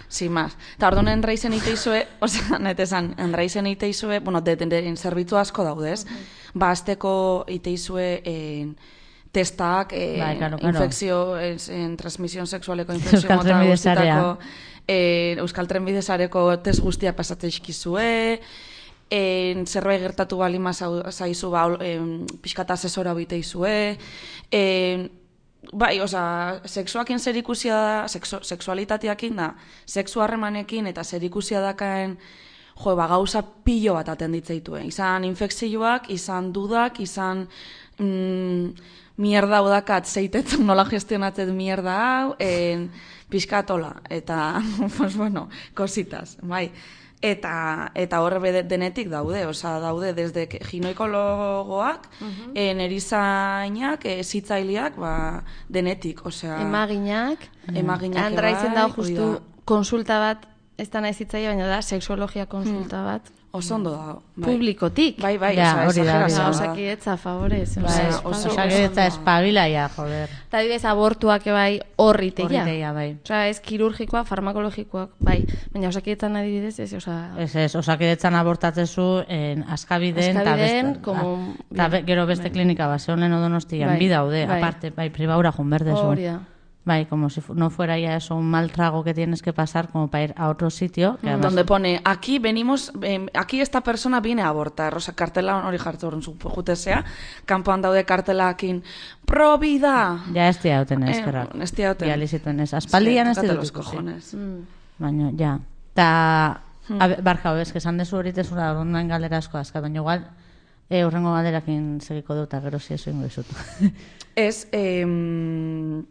sin más. Eta orduan Andraizen iteizue, osea, netezan, Andraizen iteizue, bueno, de, de, de, zerbitzu asko daudez. Ba, azteko iteizue en, testak, en, Bai, claro, claro. infekzio, en, en transmisión sexualeko infekzio Euskal mota Trenbide guztietako, Sarea. eh, Euskal Trenbide Sareko test guztia pasate izkizue, en, zerbait gertatu balima zaizu ba, en, pixkat asesora bite izue, en, bai, oza, sexuakin zerikusia da, sexu, sexualitateakin da, sexu harremanekin eta zerikusia dakaen, jo, ba, gauza pilo bat atenditzeitue. Izan infekzioak, izan dudak, izan mm, mierda hau dakat zeitetzen nola gestionatzen mierda hau, en, pixkatola, eta, pues bueno, kositas, bai. Eta, eta horre bede- denetik daude, oza, daude desde que- ginekologoak, uh-huh. en erizainak, e, zitzaileak, ba, denetik, osea... Emaginak, Emaginak Andraizen ebai, dago hori justu da. konsulta bat, ez da nahi zitzaile, baina da sexologia konsulta bat, Oso ondo dago. Bai. publikotik. Bai, bai, Ja, osea, hori da, hori da. exagerazioa da. Osakidetza, favorez. Bai, osea, oso- oso- osa geretza espabilaia, joder. Eta adibidez, abortuak ebai horri teia. Horriteia, bai. Osea, ez kirurgikoa, farmakologikoak, bai. Baina osakidetzan adibidez, ez, osea... Ez ez, osakidetzan abortatzezu en askabiden, eta Askabiden, beste, como- ta be- gero beste klinika bat, zeon lehen odonostian, Bai, bi daude, bai. aparte, bai, pribaura junberdezu. Hori da. Bai, como si fu- no fuera ya eso un mal trago que tienes que pasar como para ir a otro sitio. Que además, Donde pone, aquí venimos, eh, aquí esta persona viene a abortar, oza, kartela hori jartzen jutezea, kanpoan daude kartelakin, pro vida! ya ez dira duten Eh, eskerrak. ez dira duten. Ja lizituen ez. Aspaldian ez Tócate dut los ikusi. cojones. Mm. Baina, ja. Ta, hmm. barkau, ez, que esan dezu horitezura orduan galdera asko azka, baina igual, e, urrengo galderakin segiko dut, eta gero ziezu ingo izut. Ez, em,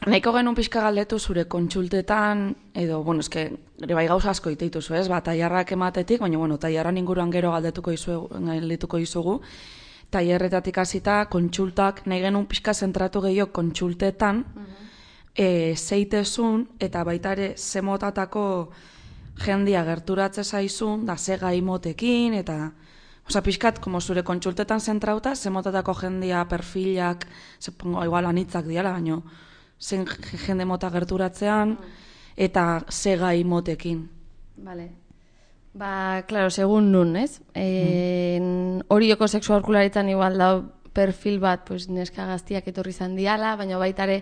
nahiko genuen pixka galdetu zure kontsultetan, edo, bueno, eske, ere bai gauza asko iteituzu, ez, ba, tailarrak ematetik, baina, bueno, tailarran inguruan gero galdetuko izugu, galdetuko izugu, tailerretatik hasita kontsultak, nahi genuen pixka zentratu gehiago kontsultetan, e, zeitezun, eta baita ere zemotatako jendia gerturatze zaizun, da ze gai motekin, eta... Osa, pixkat, como zure kontsultetan zentrauta, zemotatako jendia, perfilak, zepongo, igual anitzak diala, baino, zen jende mota gerturatzean, eta ze gai motekin. Vale. Ba, claro, segun nun, ez? En, Orioko sexu aholkularitzan igual da perfil bat, pues, neska gaztiak etorri izan diala, baina baita ere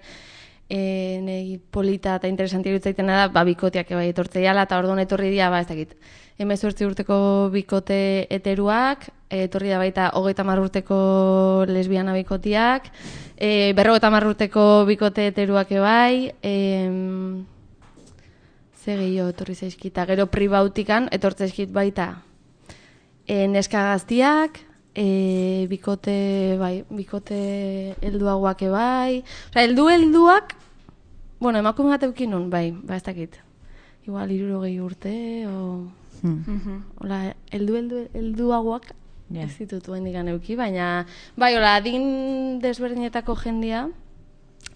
e, nei polita eta interesanti irutzaitena da, ba, bikoteak bai etortzei ala, eta orduan etorri dira, ba, ez dakit, hemezortzi urteko bikote heteruak, e, etorri da baita hogeita hamar urteko lesbiana bikotiak, e, berrogeita hamar urteko bikote heteruak ebai, em, ze gehiago etorri zaizkita, gero pribautikan etortze zaizkit baita e, neska gaztiak, e, bikote, bai, bikote helduagoak bai, osea, heldu helduak, bueno, emakume bat eukin nun, bai, ba ez dakit, igual hirurogei urte, o... Hmm. Hola, heldu heldu helduagoak Ja. ez ditut oraindik euki, baina bai, hola, adin desberdinetako jendia.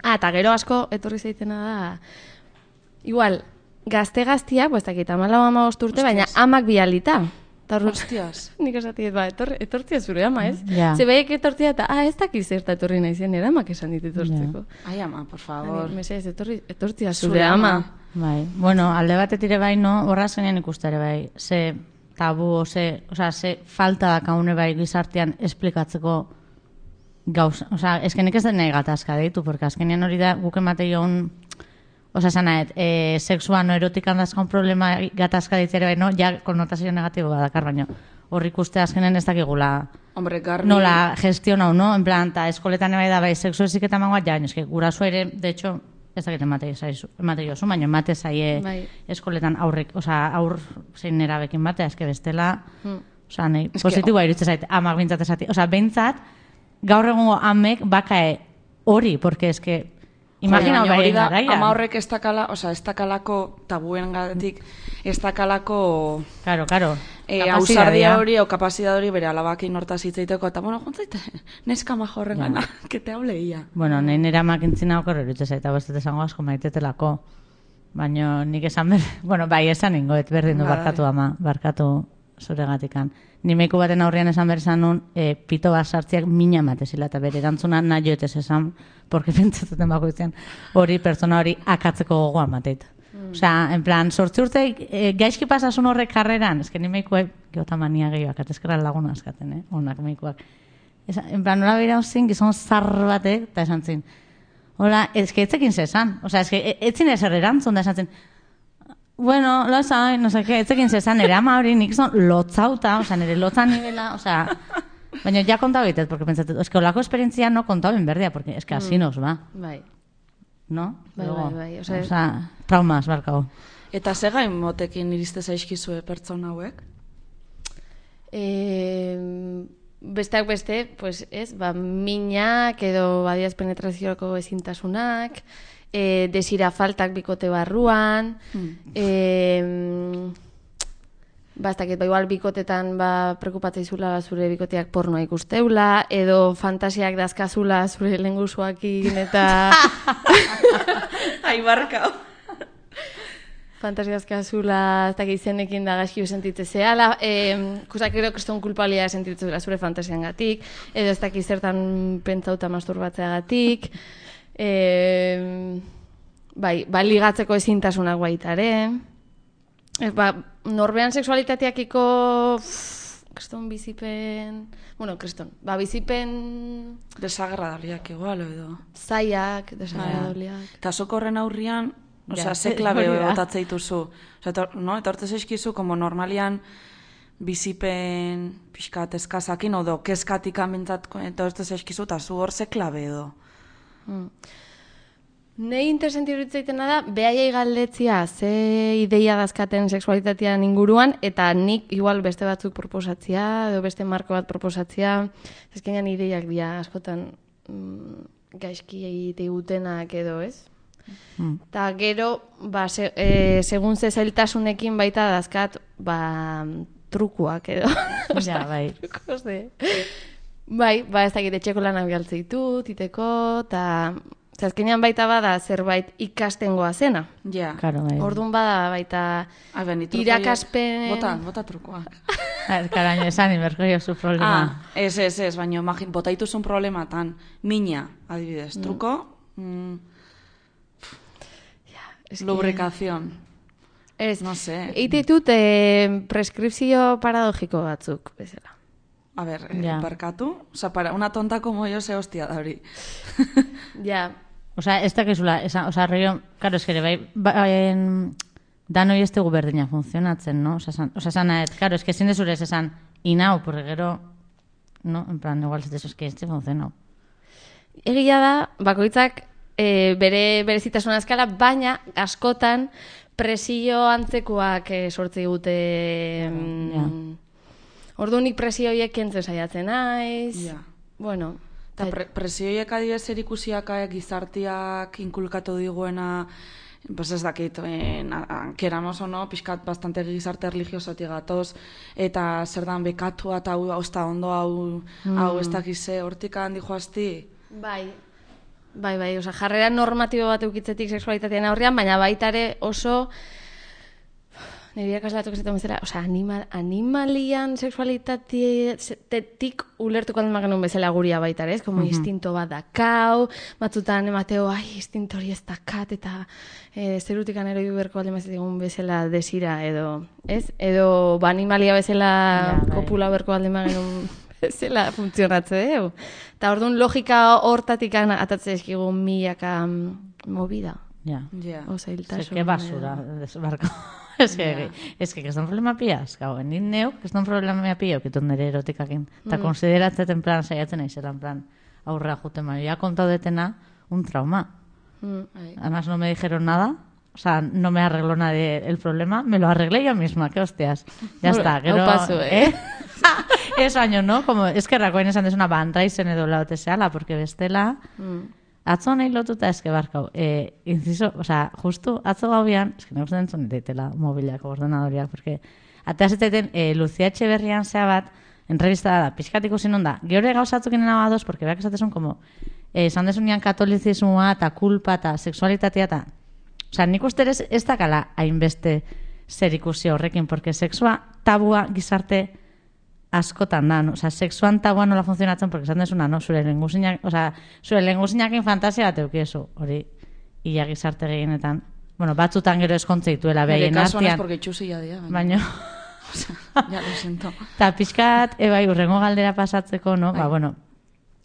Ah, eta gero asko etorri zaitena da. Igual, gazte-gaztiak, pues dakit, hamalau hamabost urte, baina amak bialita. Ta orduan- Hostias. Nik esatiet, ba, etorri, etortzia zure ama, ez? Ja. Ze baiek etortzia eta, ah, ez dakiz zerta etorri nahi zen, eramak esan dit etortzeko. Ai, ama, por favor. Mesedez, etorri, etortzia Zure zure ama. ama. Bai, bueno, alde batetik ere bai, no, horraz genian ikustare bai, ze tabu, o ze, osea, ze falta da kaune bai gizartean esplikatzeko gauza, osea, eskenik ez den nahi gatazka deitu, porque azkenean hori da guk emate joan, osea, zanaet, e, sexua no erotikan dazkaun problema gatazka deitzere bai, no, ja, konnotazio negatibo badakar, baino, hor ikuste azkenean ez dakigula Hombre, garbi... nola gestionau, no? En plan, ta eskoletan bai da bai, sexu eziketa mangoa, ja, baina eske, guraso ere, de hecho, ez dakit emate zaizu, emate jozu, baina emate zaie Bai. eskoletan aurrek, osea, aur zein nerabekin batea, eske bestela, Hmm. osea, nahi, positiboa iruditzen zait, amak bintzat esati, osea, behintzat, gaur egungo amek bakae hori, porque eske, imagina Baina hori hori da, garaia. ama horrek ez dakala, osea, ez dakalako tabuen gatik, ez dakalako Claro, claro. e, Kapazitatea. ausardia hori o kapazidad hori bere alabakin hortaz hitzaiteko, eta bueno, juntzaite, neska majo horren gana, que te hable ia. Bueno, nahi nera makintzina okorro iruditzen zait, hau ez dut esango asko maitetelako. Baina nik esan ber, bueno, bai, esan ingoet, berdin du Bai. barkatu ama, barkatu zuregatikan. Ni meiku baten aurrian esan behar esan nun, e, pito bat sartziak mina matezila, eta bere erantzuna nahi joetez esan, porque pentsatzen bakoitzean, hori pertsona hori akatzeko gogoa mateit. Mm. Osea, en plan, sortzi urte e, gaizki pasasun horrek karreran, eske ni meikuek, geota mania gehiagoak, atezkera laguna askaten, eh? Onak meikuak. Esa, en plan, nola bera zin, gizon zar batek, eta esan zin, hola, eske etzekin zesan, osea, eske etzin ezer erantzun da esan zin, bueno, lo sabe, no sé qué, etzekin zesan, ere ama hori nik zon lotzauta, osea, nire lotza nivela, osea, baina ja kontau egitez, porque pentsatet, eske olako esperientzia no kontau ben berdea, porque eske así nos va, Bai. no? Bai, Luego, bai, bai, osea- osea, traumas, barkau. Eta ze gain motekin iriste zaizkizue pertsona hauek? E, besteak beste, pues ez, ba, minak edo badiaz penetrazioko ezintasunak, e, desira faltak bikote barruan, Hmm. e, bastakit, ba, igual bikotetan ba, preokupatzeizula zure bikoteak pornoa ikusteula, edo fantasiak dazkazula zure lengusuakin eta Ai, barkau. fantasiak dazkazula, ez dakit izenekin da gaizki sentitze zehala, e, kusak ero kriston kulpalia sentitzela zure fantasiangatik, edo ez dakit zertan pentsauta masturbatzeagatik, e, bai, ba, ligatzeko ezintasunak baita ere, e, ba, norbean sexualitateakiko pff, kriston bizipen, bueno, kriston, ba, bizipen Desagradabiliak igual, edo. zaiak, desagradabliak. Eta zuk horren aurrian, osea, Ja, ze klabe hori da. botatze dituzu. Osea, etor, no, etortze zaizkizu, como normalian bizipen pixkat eskazakin, odo keskatik amintzat etortze zaizkizu, eta zu hor ze klabe edo. Mm. Nei interesanti iruditzaitena da, behaiei galdetzia ze ideia dazkaten sexualitatean inguruan, eta nik igual beste batzuk proposatzia, edo beste marko bat proposatzia, ezkenean ideiak dira askotan mm, gaizki egitegutenak edo, ez? Mm. Ta gero, ba, se, e, segun ze zailtasunekin baita dazkat, ba, trukuak edo. Ja, bai. Trukos de... Bai, ba, ez dakit etxeko lanak galtzeitu, titeko, eta azkenean baita bada zerbait ikastengoa zena. Ja. Claro, bai. Orduan bada baita Ah, ben, ni truko irakaspen... horiek- Bota, bota trukoak. Karaino, esan inberko zu problema. Ah, ez, ez, ez, baina imagin, bota dituzun problematan, mina, adibidez, truko, mm, Es que- lubricación, Ez, no sé. Eite ditut eh, preskripzio paradogiko batzuk, bezala. A ver, Ja. eh, barkatu, oza, para una tonta como yo, ze hostia da hori. Ja, Osea, ez dakizula, esan, osea, rio, karo, eskere, bai, ba, en, danoi ez dugu berdina funtzionatzen, no? Osea, esan, osea, esan nahet, karo, eske ezin dezure ez esan, inau, porque gero, no, en plan, igual ez dezu, eske ez funtzionau. egia da, bakoitzak e, bere berezitasuna eskala, baina askotan presio antzekoak e, sortze dute. Ja. mm, Orduan nik presio horiek kentzen saiatzen naiz. Ja. Bueno, Eta pre presioiek adibidez zer ikusiak eh, gizartiak inkulkatu diguena, pues ez dakit, en, queramos o no, pixkat bastante gizarte religiosotik gatoz, eta zer dan bekatua eta hau, hau ez da ondo, hau, hau ez dakize, hortik handi joazti. bai, bai, bai, oza, jarrera normatibo bat eukitzetik sexualitatean aurrean, baina baita ere oso, nire irakaslatuk esaten bezala, oza, animal, animalian sexualitatetik ulertuko den genuen bezala guria baita ere, ez? Como instinto bat dakau, batzutan emateo, ai, instinto hori ez dakat, eta e, zerutik anero berko alde mazetegun bezala desira, edo, ez? Edo, ba, animalia bezala Ja, bai. kopula berko alde genuen bezala funtzionatze dugu. Eta orduan logika hortatik atatze eskigu milaka mm, movida. Ja. Ja. Oza, hiltasun. Es que basura, desbarko. Es que, es que, que son problema piaz, gau, nik neuk, que son problema pia, okitut nire erotikakin. Eta konsideratzeten plan, saiatzen naizela, en plan, aurrea juten baina, ja kontau detena, un trauma. Mm. Además no me dijeron nada. O sea, no me arregló nadie el problema. Me lo arreglé yo misma, qué hostias. Ya Bueno, está. Gero, hau pasu, eh? Ez baino, no? Como, eskerrakoen esan desuna, ba, antraizen edo laute zehala, porque bestela... Mm. Atzo nahi lotuta eske barkau. Eh, inciso, o sea, justu atzo gauean, eske nahi gustatzen zuen daitela mobilak, ordenadoriak, porque atea zitaiten eh, Lucia Etxeberrian zea bat, entrevistada da, pixkat ikusi non da, geure gauzatzuk inen abadoz, porque beak esatezun, como, eh, esan desunian katolizismoa, eta kulpa, eta sexualitatea, eta... O sea, nik uste ez, ez dakala hainbeste zer ikusi horrekin, porque sexua tabua gizarte askotan da, no? O sea, sexuan tabua nola funtzionatzen, porque esan desuna, no? Zure lenguzinak, o sea, zure lenguzinakin fantasia bat eukiezu, hori, ia gizarte gehienetan. Bueno, batzutan gero eskontze dituela Nire behien kasuan ez artean. porque txusia dia. Baina, O sea, ya lo siento. eta pixkat, e, bai, urrengo galdera pasatzeko, no? Ba, bueno,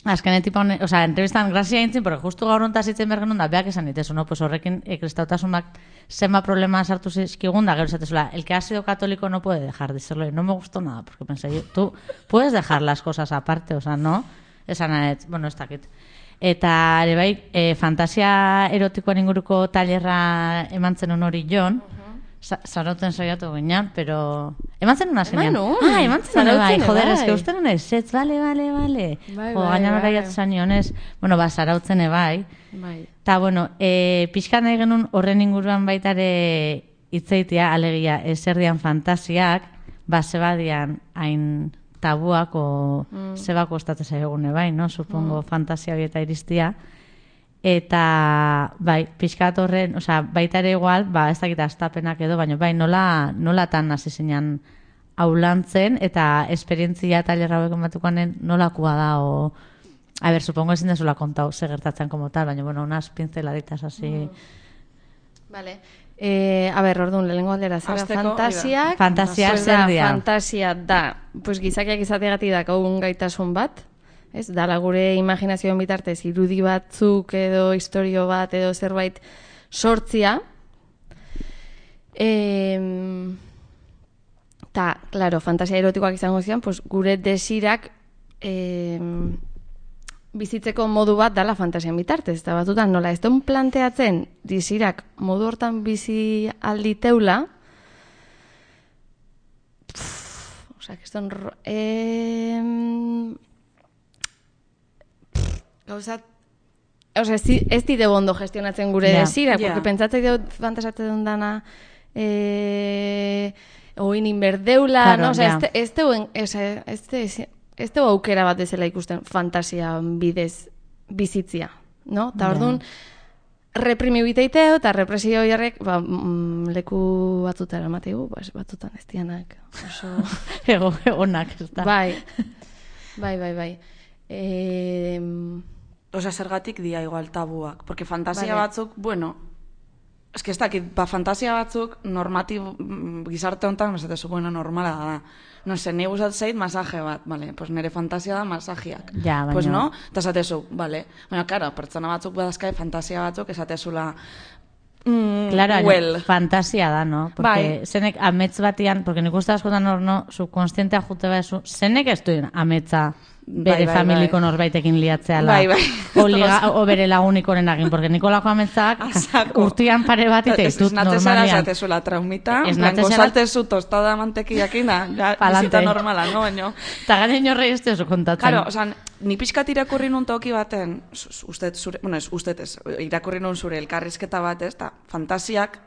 azkene tipa honen, o sea, entrevistan grazia intzin, porque justu gaur hontaz itzen bergen da, beak esan ditezu, no? Pues horrekin e, kristautasunak zenba problema sartu zizkigun da, gero esatezula, el que ha sido católico no puede dejar de serlo, y no me gustó nada, porque pensé, yo, tú puedes dejar las cosas aparte, o sea, no? Esan anet, bueno, ez dakit. Eta, ere bai, e, fantasia erotikoan inguruko tailerra eman zenun hori jon, Zarauten saiatu ginean, pero... Eman zen una zenean. Eman nun. Ah, eman zen bai, Zarautzen joder, bai. es que uste nuen ez, bale, bale, bale. Bai, Jo, bai, gainan bai. horreiat zanionez, bueno, ba, zarautzen bai. Bai. Ta, bueno, e, pixka nahi genuen horren inguruan baitare hitzeitia, alegia, eserdian fantasiak, ba, zebadian hain tabuak, o Mm. zebako ostatze zaigune bai, no? Supongo fantasia horieta iristia. Eta, bai, pixkat horren, osea, baita ere igual, ba, ez dakita astapenak edo, baina bai, nola, nola tan hasi zinean aulantzen, eta esperientzia tailerra hauek ematukanen nolakoa da, o... A ber, supongo ezin dezula kontau, ze gertatzen como tal, baina, bueno, unas pinceladitas así... Vale. Eh, a ber, orduan, lehenengo aldera, zera Hasteko, fantasiak... Fantasiak pues zer da, dira? Fantasia da, pues gizakiak izateagatik dakaugun gaitasun bat, ez? Dala gure imaginazioen bitartez irudi batzuk edo istorio bat edo zerbait sortzia. Eh, ta, claro, fantasia erotikoak izango zian, pues gure desirak eh, bizitzeko modu bat dala fantasian bitartez. Eta batutan nola ez duen planteatzen desirak modu hortan bizi alditeula, pff, osea, que eston... Eh, Gauzat, osea, ez, di- ez dide bondo gestionatzen gure Ja. desirak, Ja. porque pentsatzen dut fantasatzen dut dana eh, oin inberdeula, Claro, no? Osea, ja. ez te- ez teuen, ez, ez, te- ez teu aukera bat ezela ikusten fantasia bidez bizitzia, no? Ta Ja. orduan, reprimi biteiteo, eta represio jarrek, ba, mm, leku batutara emategu, ba, batutan ez dianak, oso... Ego, egonak, ez da. bai, bai, bai, bai. Eh, Osea, zergatik dia igual tabuak. Porque fantasia Vale. batzuk, bueno, es que ez dakit, ba, fantasia batzuk normatib, mm, gizarte honetan, esatezu, bueno, normala da. No sé, ni gustat zait masaje bat, vale, pues nire fantasia da masajiak. Ja, baina- Pues no, eta esatezu, vale. Baina, karo, pertsona batzuk badazkai fantasia batzuk esatezula, mm, Claro, well. fantasia da, no? Porque Bai. zenek amets batian, porque nik uste askotan hor, no, subkonstientea jute baizu, zenek ez duen ametza bere Bai, bai, familiko bai. norbaitekin liatzeala. Bai, bai. O, liga, o bere lagunikoren egin, porque nikolako ametzak Asako. urtian pare bat iteitut Esnatezara normalian. esatezula traumita, Ez en plan, natezara- gozaltezu tostada mantekiakina, ja, Pa'lante. bizita normala, no, baino. Eta garen horrei ez oso kontatzen. Claro, o sea, ni pixkat irakurri nun toki baten, zu- usted zure, bueno, ez, usted ez, irakurri nun zure elkarrizketa bat, ez, eta fantasiak,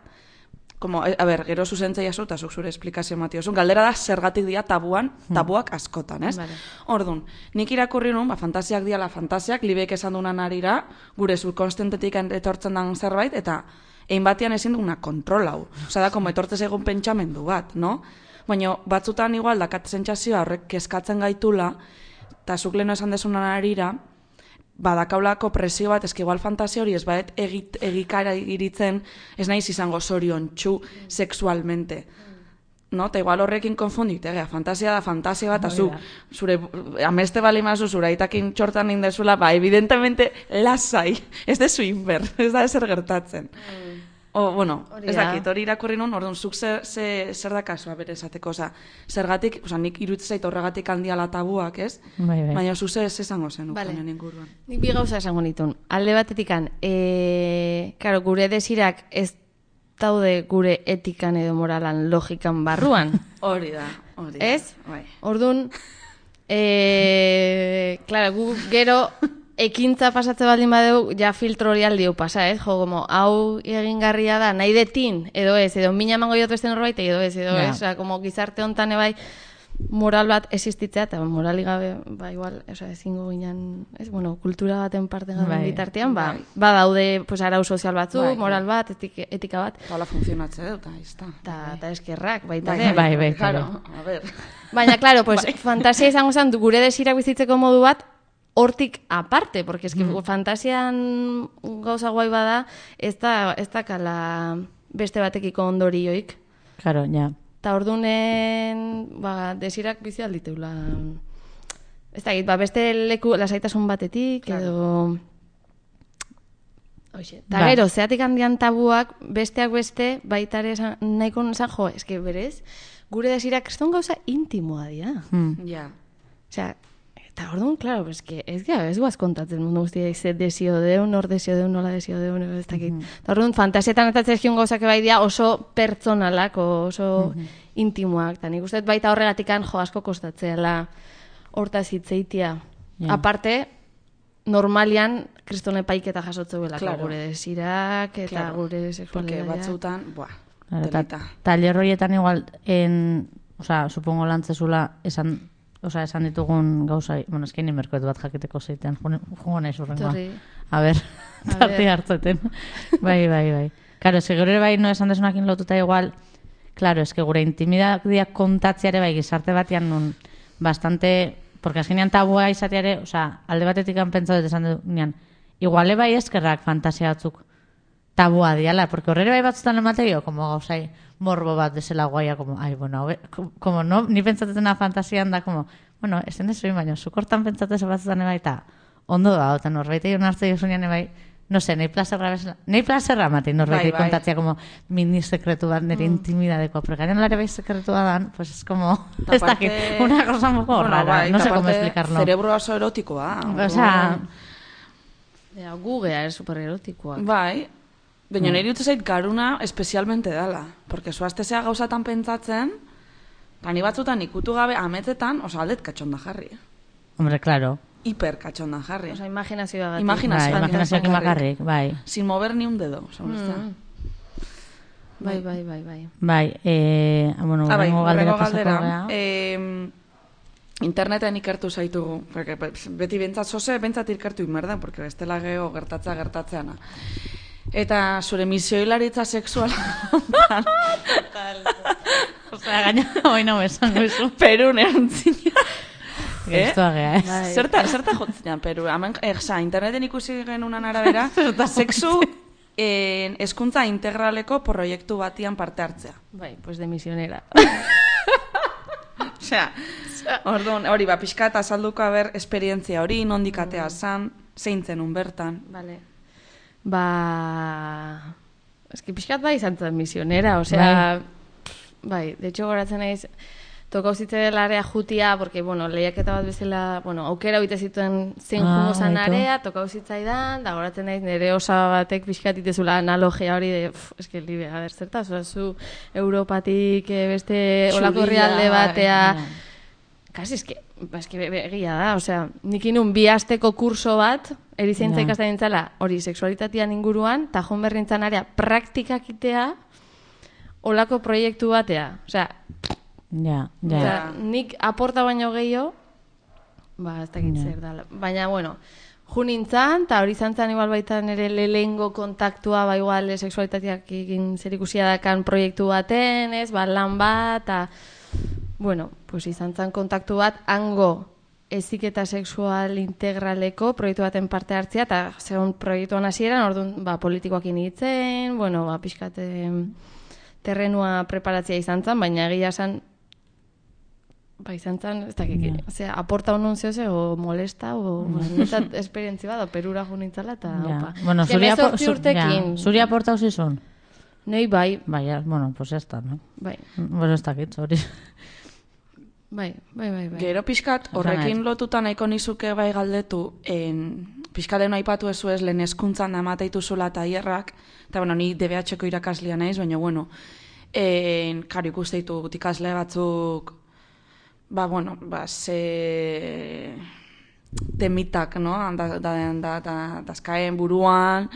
como, a ber, gero zuzentzei azu, eta zuk zure esplikazio matiozun, galdera da zergatik dira tabuan, tabuak askotan, ez? Vale. Ordun, nik irakurri nun, ba, fantasiak diala fantasiak, libek esan dunan arira, gure subkonstentetik etortzen dan zerbait, eta egin batean ezin duguna kontrolau. Osa da, como etortez egun pentsamendu bat, no? Baina batzutan igual dakat sentsazioa horrek kezkatzen gaitula, eta zuk leheno esan desunan arira, badakaulako presio bat, eski igual fantasia hori ez badet egit, egikara iritzen, ez naiz izango zorion txu sexualmente. No? Eta igual horrekin konfundit, egea, fantasia da fantasia bat, eta zu, zure, ameste bali mazu, zure aitakin txortan indezula, ba, evidentemente, lasai, ez dezu inber, ez da ezer gertatzen. O, bueno, Hori ez da. dakit, hori irakurri nun, orduan, zuk zer, zer, zer da kasua bere esateko, oza, zergatik, oza, nik iruditzen zait horregatik handiala tabuak, ez? Bai, bai. Baina zu ze esango zen, Vale. ukanen inguruan. Nik bi gauza esango nitun. Alde batetikan, e, karo, gure desirak ez daude gure etikan edo moralan logikan barruan. Hori da, hori da. Ez? Bai. Orduan, e, claro, gu gero ekintza pasatze baldin badeu, ja filtro hori aldiu pasa, ez? Jo, como, hau egingarria da, nahi detin, edo ez, edo mina emango diot beste norbait, edo ez, edo Ja. ez, osea, como gizarte hontan ebai, moral bat existitzea, eta moralik gabe, ba, igual, osea, ezingo ginen, ez, bueno, kultura baten parte gaben Bai. bitartean, ba, Bai. ba daude, pues, arau sozial batzuk, Bai, moral bat, etik, etika bat, Eta hola funtzionatze dut, eta izta. eta ta eskerrak, baita Bai, ere. bai, bai, Claro, a ver. Baina, claro, pues, fantasia izango zen, gure desirak bizitzeko modu bat, hortik aparte, porque es que Mm. fantasian gauza guai bada, ez da, ez da kala beste batekiko ondorioik. Claro, ja. Ta ordunen, ba, desirak bizi alditeula. Ez da, ba, beste leku lasaitasun batetik, edo... Hoxe. Ta Ba. gero, zeatik handian tabuak, besteak beste, baita ere esan- nahiko esan, jo, eske berez, gure desirak kriston gauza intimoa dira. Hmm. Ja. Osea, eta orduan, claro, pues que ez gara, ez guaz kontatzen mundu guztia izet desio deun, nor desio deun, nola desio deun, ez dakit. Eta orduan, fantasietan eta zezkion gauzak bai dira oso pertsonalak, oso intimoak. Eta nik uste dut baita horregatikan jo asko kostatzeala hortaz hitzeitia. Ja. Aparte, normalian kristone paiketa jasotzeuelako Claro. gure desirak eta Claro. gure Porque sexualitatea. batzutan, buah, Claro, eta telita. taller horietan igual, en, o sea, supongo lantzezula, esan, o sea, esan ditugun gauza, bueno, eskein inberkoet bat jakiteko zeiten, jungo nahi zurrengoa. Etorri. A ber, A tarti ber. hartzeten. Bai, bai, bai. Claro, es que gure bai no esan desunakin lotuta igual, claro, es que gure intimidadia kontatziare bai gizarte batean nun bastante, porque azkenean tabua izateare, o sea, alde batetik pentsatu dut esan dunean, iguale bai eskerrak fantasia batzuk tabua diala, porque horrere bai batzutan emategio, como gauzai morbo bat desela guaia, como, ai, bueno, hau, como no, ni pentsatetena fantasian da, como, bueno, esen ez oin baino, zukortan pentsatez batzutan bai, eta ondo da, eta norbait egin hartze jozunean bai, no sé, nahi plazerra bezala, nahi plazerra ematen norbait Bai, bai, bai. kontatzea, como, mini sekretu bat, nire intimidadeko, pero garen lare bai sekretu dan, pues es como, Ta ez dakit, aparte- una cosa un poco Bueno, rara, bai, no ta sé cómo aparte, explicarlo. Cerebro oso erotikoa. O sea, orduan, Ja, Googlea es supererotikoa. bai, baina Mm. nire dut zait garuna espezialmente dala. Porque zuaztezea gauzatan pentsatzen, eta ni batzutan ikutu gabe ametzetan, oso aldet katxonda jarri. hombre, claro, Hiper katxonda jarri. Osa, imaginazioa gatik. Imagina- bai, imaginazioak imagarrik, bai. Sin mover ni un dedo. Oso, Mm. Bai, bai, bai, bai. Bai, eh, bueno, Ah, bai, urrengo galdera urrengo pasako galdera. gea. Eh, interneten ikertu zaitugu. Porque beti bentsat zoze, bentsat ikertu inmerda, porque bestela geho gertatza gertatzeana. Eta zure misioilaritza sexuala Osea, gaina, hoi no esango izu. Perun erantzina. Eh? Gestoa gea, eh? Bai. Zerta, zerta jotzinean, Peru? Hemen, eh, oza, interneten ikusi genunan arabera, sexu eh, hezkuntza integraleko proiektu batian parte hartzea. Bai, pues de misionera. Osea, orduan, hori, ba, pixka eta azalduko haber esperientzia hori, nondik atea zan, zein zenun bertan. Vale. Ba... Eski pixkat bai izan zen misionera, osea... Bai, de hecho goratzen naiz, tokau zitzelarea jutia, porque, bueno, lehiaketa bat bezala, bueno, aukera oite zituen zein Ah, jungo zan baitu. area, tokau zitzaidan, da goratzen naiz nire osa batek pixkat itezula analogia hori de, pff, eske, libe, a ber, zertaz, oza, zu Europatik eh, beste olako Zuria, herrialde bai, batea, ja. kasi, eske, ba, eske be- be- egia da, osea, nik inun bi asteko kurso bat, erizaintza Ja. ikasten nintzala, hori, sexualitatean inguruan, eta joan berrintzan area praktikakitea, olako proiektu batea. Osea, Ja, ja. osea, nik aporta baino gehiago, ba, ez dakit Ja. zer da. Baina, bueno, ju nintzan, eta hori zantzan igual baita nire lehengo kontaktua, ba igual eh, sexualitateak egin zerikusia dakan proiektu baten, ez, ba, lan bat, eta, bueno, pues izan zan kontaktu bat, hango heziketa sexual integraleko proiektu baten parte hartzea, eta zegoen proiektuan hasieran, orduan, ba, politikoakin hitzen, bueno, ba, pixkat em, terrenua preparatzea izan zan, baina egia esan, ba, izan zan, ez dakik, Ja. osea, aporta honun zehoze, o molesta, o, netat esperientzi bat, o perura jo nintzala, eta, Ja. opa. Bueno, Eske zuri apo- hemezortzi zu- urtekin, ja. Zuri aportau zizun? Nei bai, Bai, ja, bueno, pues ya está, no? bai, Bueno, ez dakit, hori. bai, bai, bai, bai. Gero pixkat, horrekin lotuta nahiko nizuke bai galdetu, en, pixkalen aipatu ezu ez lehen hezkuntzan amateitu zula taierrak, eta bueno, ni D B H-ko irakaslia naiz, baina bueno, en, karo ikuste ditut ikasle batzuk, ba bueno, ba ze temitak, no? Da, da, da, da, dazkaen buruan,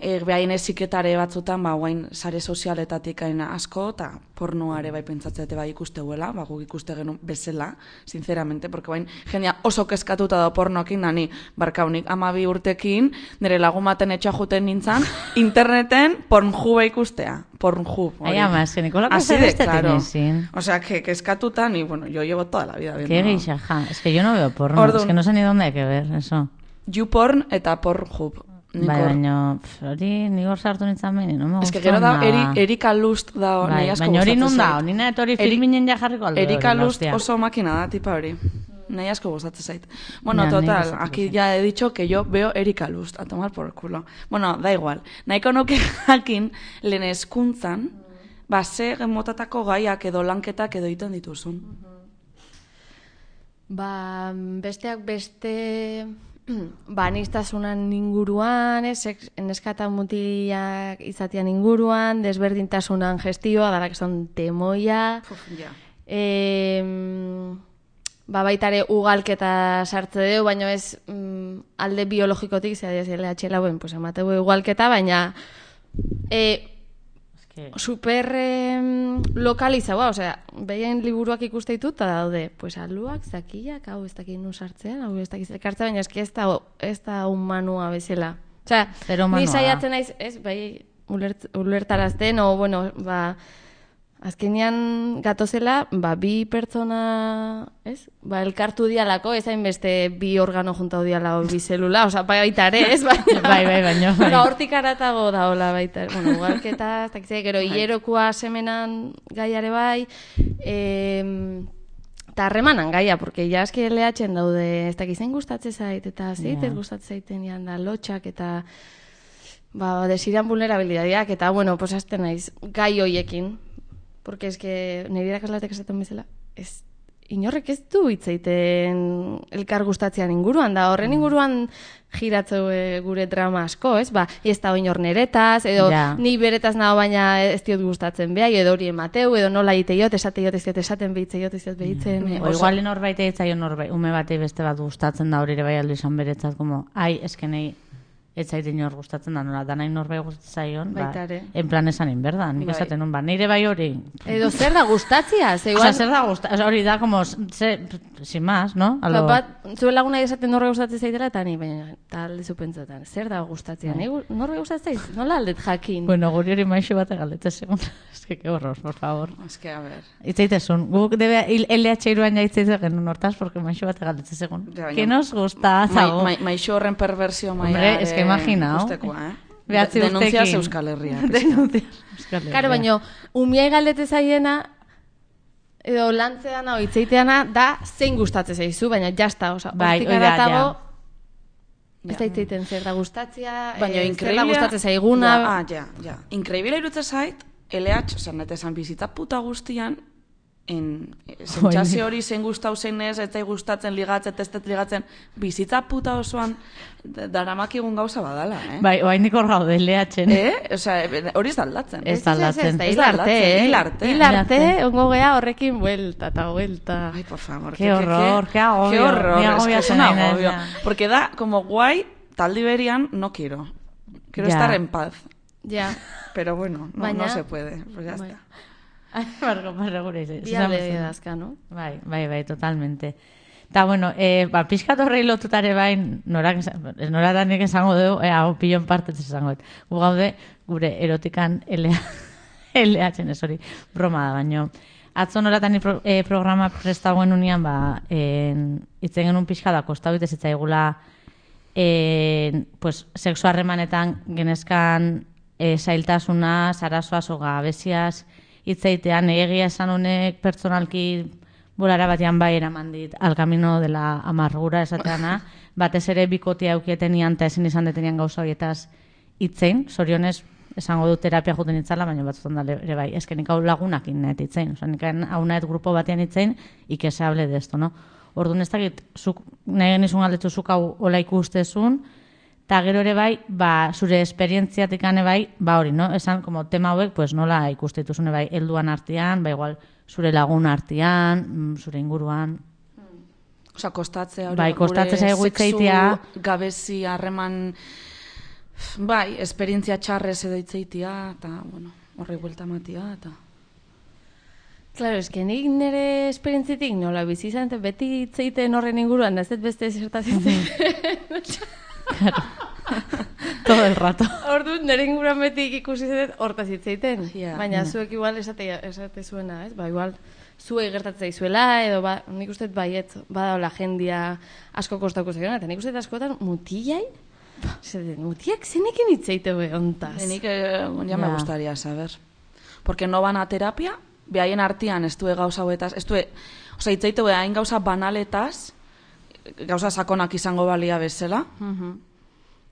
e, behain eziketare batzutan, ba, guain sare sozialetatik aina asko, eta pornoare bai pentsatzete bai ikusteuela, ba, guk ikuste genuen bezala, sinceramente, porque bain jendea oso kezkatuta da pornoekin, da ni, barkaunik, amabi urtekin, nire lagun baten etxea juten nintzen, interneten pornhube ikustea, pornhub. Ai, ama, es que Nicolás Así de claro. sin. O sea, que kezkatuta, ni, bueno, yo llevo toda la vida viendo. Qué geisha, ja. Es que yo no veo porno, Orduan. es que no sé ni dónde hay que ver eso. YouPorn eta pornhub. Nik Bai, hor- baina, pf, hori nigor sartu nintzen behin, no me Ez que gusta gero da, nada. eri, Erika Lust da, Bai, nahi asko baina hori gustatzen nun da, zait. nina etori Eri- filminen ja jarriko aldo. Erika hori, Lust hostia. oso makina da, tipa hori. Nahi asko gustatzen zait. Bueno, Ja, nik total, gustatzen aquí zait. ya he dicho que yo veo Erika Lust, a tomar por culo. Bueno, da igual. Nahiko nuke jakin, lehen hezkuntzan, ba, ze motatako gaiak edo lanketak edo egiten dituzun. Ba, besteak beste, ba, aniztasunan inguruan, ez, neskata mutilak izatean inguruan, desberdintasunan gestioa, darak son temoia, Puf, ja. e, ba, baitare ugalketa sartze deu, baina ez mm, alde biologikotik, zera diaz, L H lauen, pues, emateu ugalketa, baina e, Que- super eh, lokalizaua, osea, behien liburuak ikuste ditut, eta daude, pues aluak, zakiak, hau ez dakit nun sartzean, hau ez dakit elkartzen, baina eski ez da, ez da humanua bezala. Osea, Zero ni humanua da. saiatzen naiz, ez, bai, ulert, ulertarazten, o, bueno, ba, azkenean gatozela, ba, bi pertsona, ez? Ba, elkartu dialako, ez hainbeste bi organo juntau diala, o bi zelula, oza, baita ere, ez? Baina, Bai, bai, baino, bai. Ba, hortik aratago daola baita, bueno, ugalketa, ez dakitze, gero hilerokoa semenan gaiare bai, em, eta harremanan gaia, porque ja eski L H-en daude, ez dakit zein gustatze zait, eta zeiter Ja. gustatze zaiten dian da, lotxak, eta ba, desiran vulnerabilidadeak, eta, bueno, pues hasten naiz, gai hoiekin, porque es que nire irakaslatek esaten bezala, ez, inorrek ez du hitz egiten elkar gustatzean inguruan, da horren inguruan giratzeu e, gure drama asko, ez? Ba, ez da inor neretaz, edo Ja. ni beretaz nago baina ez diot gustatzen behai, edo hori emateu, edo nola iteiot, esateiot, ez diot esaten behitzeiot, ez diot behitzen. e, O igual norbait egitzaio norbait, ume batei beste bat gustatzen da hori ere bai aldo izan beretzat, como, ai, eskenei, ez zait inor gustatzen da, nola, danai norbait gustatzen zaion, ba, Baita ere. en plan esan inberda, nik Bai. esaten nun, ba, nire bai hori, Edo zer da gustatzia, ze o igual... sea, zer da gusta, o sea, hori da, como, ze, sin más, no? A Ba, lo- bat, zuen laguna esaten norbe gustatzen zaitela, eta ni, baina, eta alde zupentzotan, zer da gustatzea, ni gu- norbe gustatzen zait, nola aldet jakin? Bueno, guri hori maixo bat egalete segun. Es que, qué horror, por favor. Es que, a ver. Itzaitezun, guk debe L H iruan ja itzaitze genuen hortaz, porque maixo bat egalete segun. Ja, baina- Que nos gusta, Mai, zago. mai, maixo horren perversio maia. Hombre, es que imagina, Ikustekoa, eh? Behatzi De- Denuncias urtekin. Euskal Herria. Denuncias Euskal Herria. Karo, baino, umiai galdete zaiena, edo lantzeana, o itzeiteana, da zein gustatzen zaizu, baina jasta, oza, Bai, hortik hori da, aratago, Ja. ez da itzeiten zer da gustatzea, Baina eh, zer da increíblea... gustatzen zaiguna, Ja, ah, ja, ja. Increíble irutzen zait, L H, oza, nete esan bizitza puta guztian, en, sentsazio hori zein gustau zein ez, ez zai gustatzen ligatzen, testet ligatzen, bizitza puta osoan da- daramakigun gauza badala, eh? Bai, oainik hor gaude L H-en. Eh? Osea, hori ez da aldatzen. Ez da aldatzen. da Ez hil da arte, aldatzen, eh? hil arte. Hil arte, Hil arte. ongo gea horrekin buelta eta buelta. Ay, por favor. Qué horror, qué agobio. Qué horror, Ni es que agobia es un zen nahi agobio. naiz, ja. Porque da como guay, taldi berian, no quiero. Quiero Ya. estar en paz. Ja, Pero bueno, no, Baina- no se puede. Pues ya Bai. está. Ai, bargo, bargo gure izan. bi alde dazka, no? Bai, bai, bai, totalmente. Eta, bueno, eh, ba, pixkat horrei lotutare bain, norak, esan- ez nora da nik esango dugu, eh, hau pilon partez esango dut. Gu gaude, gure erotikan L H-en, ez hori, broma da, baino. Atzo noratan pro, eh, programa prestagoen unian, ba, en, itzen genuen pixka da, kostau bitez itzaigula, en, pues, sexu harremanetan genezkan eh, zailtasuna, zarazoaz, o gabeziaz, hitzeitean egia esan honek pertsonalki bolara batean bai eraman dit al camino de la amargura esateana, batez ere bikotia aukietenian eta ezin izan detenian gauza horietaz hitzein, zorionez esango du terapia juten itzala, baina batzutan da ere bai, eske nik hau lagunakin nahet itzein, oza, nik hau nahet grupo batean itzein, y que se hable de esto, no? Orduan ez dakit, zuk, nahi genizun galdetu zuk hau hola ikustezun, eta gero ere bai, ba, zure esperientziatik ane bai, ba hori, no? Esan, como tema hauek, pues nola ikustituzune bai, helduan artean, ba igual, zure lagun artean, zure inguruan. Osa, kostatzea hori, bai, kostatzea zaigu itzeitia, gabezi harreman, bai, esperientzia txarrez edo itzeitia, eta, bueno, horri buelta matia, eta... Claro, es que nik nire esperientzitik nola bizi izan, beti itzeiten horren inguruan, da ez dut beste zertazitzen. Claro. Todo el rato. Orduan, nire inguruan beti ikusi zet hortaz itzeiten. Yeah. Baina Yeah. zuek igual esate, esate zuena, ez? Ba, igual, zuei gertatzea izuela, edo ba, nik uste baiet, badaola jendia asko kostako zeiona, eta nik uste askotan mutilai, Zeden, mutiak zenekin itzeite be ontaz. Nik eh, ja me Ja. gustaría saber. Porque no van a terapia, behaien artean ez due gauza hauetaz, ez due, osea, itzeite be hain gauza banaletaz, gauza sakonak izango balia bezala. Mhm.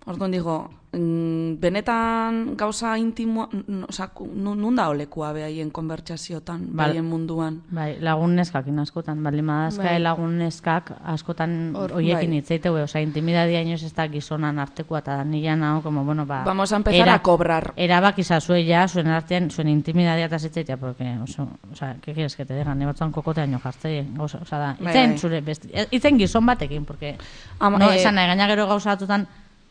Orduan digo, mm, benetan gauza intimoa, osea, nun da olekua behaien konbertsaziotan, Bal- behaien munduan. Bai, lagun neskakin askotan, bali madazka Bai. lagun neskak askotan Hor, hoiekin bai. itzeite, we, osea, intimidadia inoz ez da gizonan artekoa, eta nila nago, como, bueno, ba... Vamos a empezar a cobrar. Erabak izazue ja, zuen artean, zuen intimidadia eta zitzeitea, porque, oso, osea, ¿qué quieres que te digan? Ne batzuan kokoteaino jartzei, gauza, osea, da, Bai, itzen bai. zure, besti, itzen gizon batekin, porque, Ama- no, eh, esan nahi, gaina gero gauza batutan,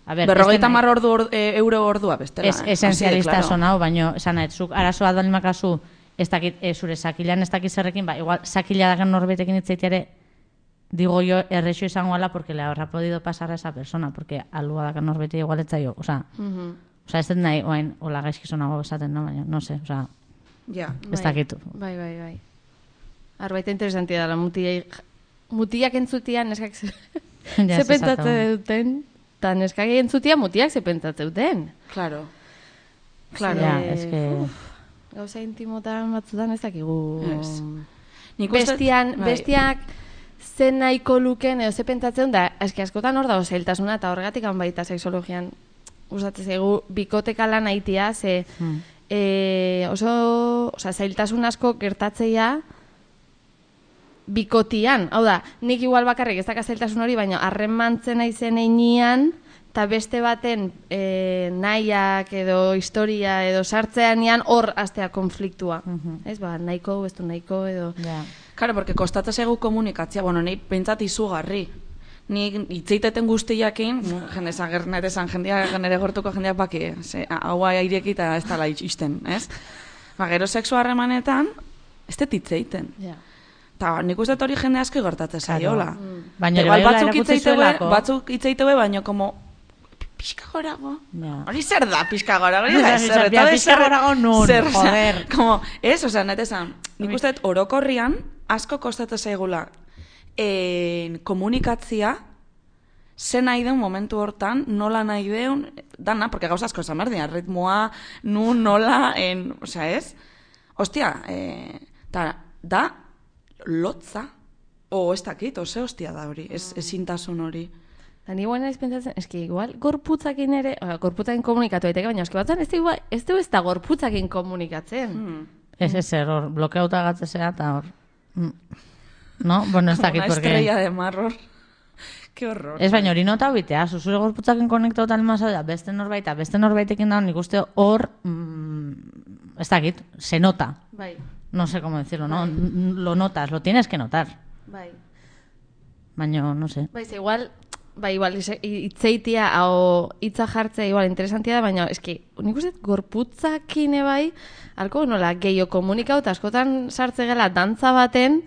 a ver, Berrogeita beste nahi- mar ordu or, e, euro ordua bestela. Ez, eh? esenzialista Así de son hau, baino, esan nahi, zuk arazo bat bali makazu, ez dakit, e, zure sakilan ez dakit zerrekin, ba, igual, sakila dagen norbetekin itzeiteare, digo yo, errexo izango ala, porque le habrá podido pasar a esa persona, porque alua dagen norbete igual etzaio, oza, Mhm. oza, ez dut nahi, oain, hola gaizkizonago esaten, no, baina, no sé, oza, Ja. ez dakit. Bai, bai, bai. Arbaita interesantia dela, mutiai, mutiak entzutian neskak ze, Ja, ze ez pentsatze esatau. duten, eta neskak entzutia mutiak ze pentsatze duten. Claro. Claro. Ja, Ze, ez que... uf, gauza intimotan batzutan ez dakigu. Ez. Nik uste- Bestian, bai. bestiak zen nahiko luken, edo ze pentsatzen da, eski askotan hor dago zailtasuna, eta horregatik han baita sexologian usatzen zaigu bikoteka lan aitia, ze Hmm. e, oso, oza, zailtasun asko gertatzeia bikotian. Hau da, nik igual bakarrik ez daka zailtasun hori, baina harremantzen aizen einean, eta beste baten e, nahiak edo historia edo sartzeanean hor astea konfliktua. Mhm. Ez, ba, nahiko, ez du nahiko edo... Ja. Claro, porque kostatzen zaigu komunikatzea, bueno, nahi pentsat izugarri. Ni itzeiteten guztiakin, jende esan gernet esan jendeak, genere gortuko jendeak baki, ze, haua aireki eta ez dala itxisten, ez? Ba, gero sexu harremanetan, ez dut itzeiten. Ja. Ta nik uste dut hori jende asko gertatzen zaiola. Baina ere Igual bai hola batzuk erakutsi itzeiteue, zuelako. batzuk itzeiteue, baino como pixka gorago. Ja. Hori zer da pixka gorago, hori da Ja, zer, ja, eta pixka zer- gorago nun, zer, osea, joder. Como, ez, osea, net esan, nik uste dut orokorrian asko kostatzen zaigula en, komunikatzia, ze nahi deun momentu hortan, nola nahi deun, dana, porque gauza asko esan behar dira, ritmoa, nun, nola, en, osea, ez? Ostia, eh, ta, da, lotza, o ez dakit, ose hostia da hori, ez, ezintasun hori. Da ni guain naiz pentsatzen, eski igual gorputzakin ere, oza, gorputzakin komunikatu daiteke, baina eski batzen ez du igual, ez du ez da gorputzakin komunikatzen. Hmm. Ez ez zer, hor, blokeauta gatzesea eta hor... Mm. No? Bueno, ez Como dakit, una porque... estrella de mar, hor. Qué horror. Ez baina hori nota bitea, zuzure gorputzakin konektauta almazau da, beste norbaita, beste norbaitekin da, nik uste hor, mm, ez dakit, se nota. Bai, No sé cómo decirlo, ¿no? N- Lo notas, lo tienes que notar. bai. Baina, no sé. Bai, ze igual, bai, igual, ise- itzeitia, hau hitza jartzea, igual, interesantia da, baina, eski, nik uste gorputzakine bai, alko nola, gehiago komunikau, eta askotan sartze gela dantza baten,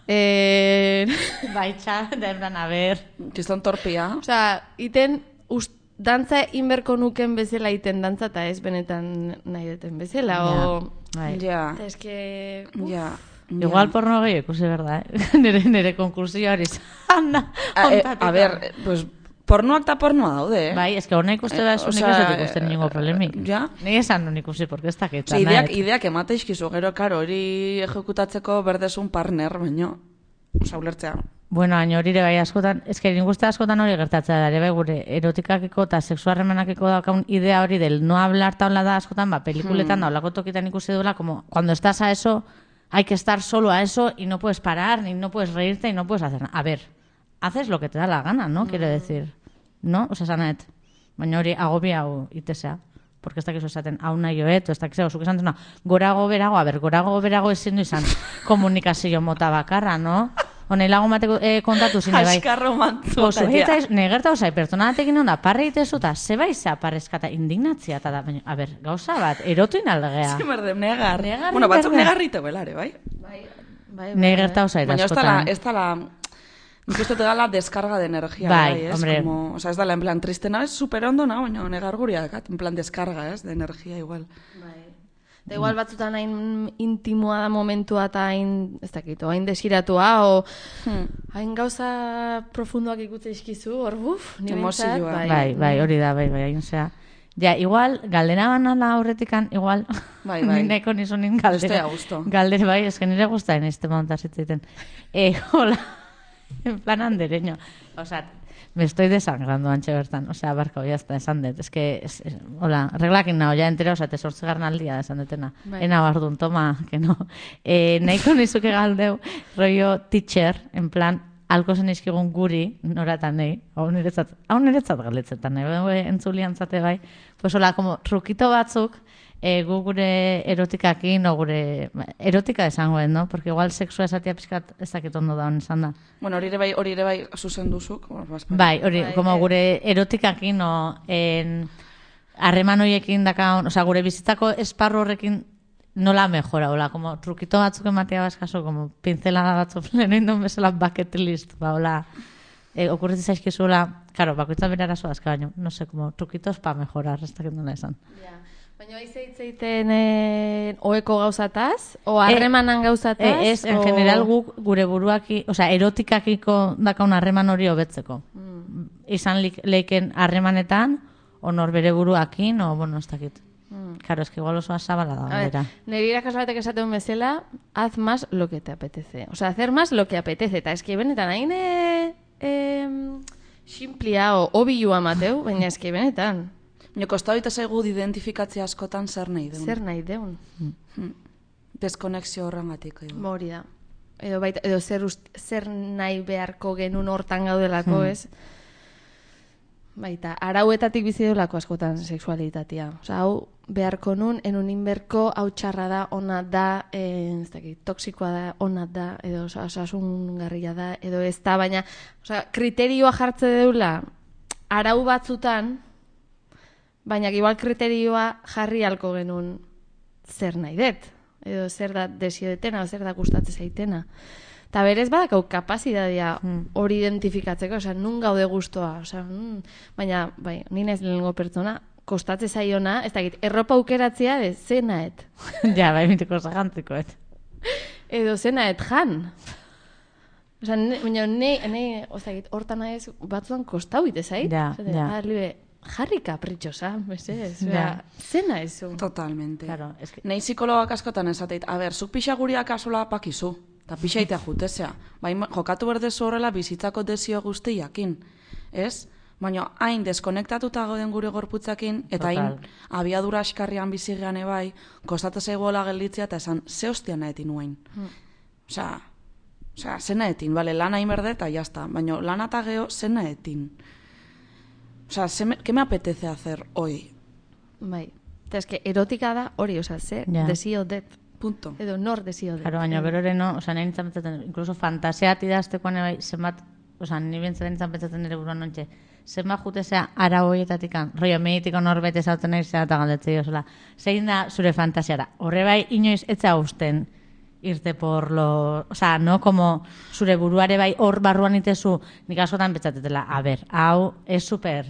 eh, Baitxa, da ebran, a ver... Kiston torpia. osea, iten, ust, dantza inberko nuken bezala iten dantza, eta ez benetan nahi duten bezala, o... Bai. Ja, Eta eske... uf, ja. Igual porno gehiago ikusi, berda, eh? nire, nire konkursioa hori izan da. A, e, ontatik. a ver, pues, pornoak eta pornoa daude, eh? Bai, ez que horna ikuste da, Eh, ez unik osea, ez dut ikusten ningo problemik. ja. Ni esan nun ikusi, porque ez dakit. Ose, ideak, ideak emate izkizu, gero, karo, hori ejekutatzeko berdesun partner, baino, osa, ulertzea, Bueno, hain hori ere bai askotan, eske nik uste askotan hori gertatzea da, ere bai gure erotikakiko eta sexuarremanakiko daukaun idea hori del no hablar taula da askotan, ba, pelikuletan da, olako tokitan ikusi duela, como cuando estás a eso, hay que estar solo a eso y no puedes parar, ni no puedes reírte y no puedes hacer nada. A ver, haces lo que te da la gana, ¿no? Quiero decir, ¿no? Osa, sanet, baina hori agobia hau itesea. Porque ez dakizu esaten, hau nahi joet, ez dakizu, zuk esan duna, gorago berago, a ber, gorago berago ezin du izan komunikazio mota bakarra, no? Honei lagun bateko eh, kontatu zine bai. Askarro mantzu. Oso, eta negerta osai, pertsona batekin onda, parre itezu eta zeba izea parrezkata indignatzia, eta da, baina, a ber, gauza bat, erotuin aldegea. Ez merdem, negar. Negar, Bueno, batzuk negar. negarrite belare, bai? Bai, bai, Negerta osai, Baina ez da askotan. la, ez da la, nik uste te da la descarga de energía, Bai, bai, ez? hombre. Como, o sea, ez da la, en plan, tristena ez super ondo, na, baina negar guria dakat, en plan descarga, ez, de energía igual. Bai. Da igual batzutan hain intimoa da momentua eta hain, ez dakit, o hain desiratua, o hain gauza profundoak ikutze izkizu, hor buf, ni behintzat, Emozioa. Bai, bai, hori da, bai, bai, osea. Ja, igual, galdera banala aurretikan, igual, Bai, bai. ni nahiko nizunin galdera. Estoy a gusto. Galdera, bai, eske nire gustaen este monta zitzaiten. Eh, hola, en plan andereño. O sea, me estoy desangrando antxe bertan. O sea, barkau, ya está, esan dut. Es que, es, es, hola, reglakin nao, ya entera, o sea, te sortzegarren aldia esan dutena. Bai. Ena bardun, toma, que no. Eh, nahiko nizuke galdeu, rollo teacher, en plan, alko zen izkigun guri, noratan nahi, hau niretzat, hau niretzat galdetzetan nahi, bai, entzulian zate bai, pues hola, como trukito batzuk, e, gu gure erotikakin, o gure, erotika esangoen, no? Porque igual sexua esatia pixkat ez dakit ondo da hon esan da. Bueno, hori ere bai, hori ere bai zuzen duzuk. Bueno, bazpa- Bai, hori, Bai, como bai. gure erotikakin, o, en, harreman horiekin dakaun, osea, gure bizitzako esparru horrekin nola mejora, hola, como trukito batzuk ematea baskaso, como pincelada batzuk lehen indon bezala bucket list, ba, hola, e, okurritzen zaizkizuela, claro, bakoitza bere arazoa azka baino, no sé, como truquitos pa mejorar, ez dakit nola esan. Ja. Baina haiz eitzeiten eh, oeko gauzataz, o harremanan gauzataz? E, ez, en o... general guk gure buruaki, osea, erotikakiko dakaun harreman hori hobetzeko. Mm. Izan lik- leiken harremanetan, o nor bere buruakin, o, bueno, ez dakit. Mm. Claro, es que igual oso azabala da, A ver, galdera. nire irakasleatek esaten bezala, haz más lo que te apetece. O sea, hacer más lo que apetece. Eta eski benetan, hain e, e, simplia o obilua mateu, baina eski benetan, Baina kostau ite zaigu identifikatzea askotan zer nahi deun. zer nahi deun. Deskonexio horrengatik. edo. Ba, hori da. Edo, baita, edo zer, ust, zer nahi beharko genuen hortan gaudelako, ez? Baita, arauetatik bizi delako askotan sexualitatea. Osa, hau beharko nun, enun inberko, hau txarra da, ona da, eh, ez dakit, toksikoa da, ona da, edo osa- osasungarria da, edo ez da, baina, osa, kriterioa jartze deula, arau batzutan, baina igual kriterioa jarri halko genuen zer nahi dut, edo zer da desiodetena, o zer da gustatze zaitena. Eta berez badakau kapazitatea hori identifikatzeko, osea, nun gaude gustoa, osea, mm, baina, bai, ni naiz lehenengo pertsona, kostatze zaiona, ez dakit, erropa aukeratzea, de, zenaet. Ja, bai, mitiko zagantzikoet. Edo zenaet jan. Osea, ne, baina ne, ne, ozagit, hortan naiz batzuan kostau ite zait. Ja, Osea, ja. ah, libe, jarri kapritxosa, mesedez, Ja. osea, zena ezu. Totalmente. Claro, es que... Nei psikologak askotan esateit, a ber, zuk pixa guriak asola pakizu, eta pixa itea jutezea. Bai, jokatu berdezu horrela bizitzako desio guztiakin, ez? Baina hain deskonektatuta gauden gure gorputzakin, eta hain Total. abiadura askarrian bizigean ebai, kostatu zaigoela gelditzea, eta esan, ze hostia nahetin nuain. Osea, osea, ze nahetin, bale, lana inberde, eta jazta, baina lana eta geho, ze nahetin. Osea, ze me, ¿qué me apetece hacer hoy? Bai. Eta eske erotika da hori, osea, ze Ja. desio det. Punto. Edo nor desio det. Claro, baina berore no, oza, nahi nintzen pentsatzen, incluso fantasiat idaztekoan bai, zenbat, oza, nire bintzen nintzen pentsatzen nire buruan nontxe, zenbat jutezea ara hoietatikan, rollo, meditiko norbete zauten nahi zera eta galdetzei osola, zein da zure fantasiara, horre bai, inoiz etza usten irte por lo, o sea, no como zure buruare bai hor barruan itezu, nik askotan pentsatetela, a ver, hau es super,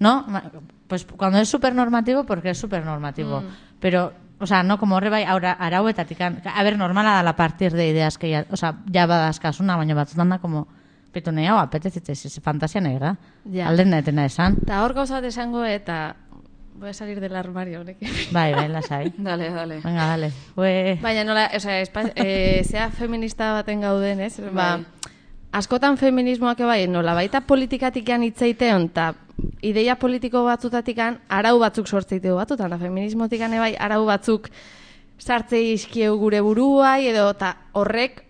¿no? Ma- Pues cuando es super normativo, porque es super normativo, pero, o sea, no como horre bai aura, arauetatikan, a ver, normala da la partir de ideas que ya, o sea, ya badazkasuna, baina batzutan da como, pitu nahi hau, apetezitze, si fantasia nahi da, Ja. alden nahetena esan, Eta hor gauza bat esango eta voy a salir del armario honekin. bai, bai, lasai, Dale, dale. venga, dale, Ue... Baina nola, osea, espa, e, zea feminista baten gauden, ez? Ba, askotan feminismoak bai, nola baita politikatikan hitzeiteon, eta ideia politiko batzutatikan arau batzuk sortzeiteu batutan, da feminismotikan bai arau batzuk sartzei izkieu gure buruai, edo eta horrek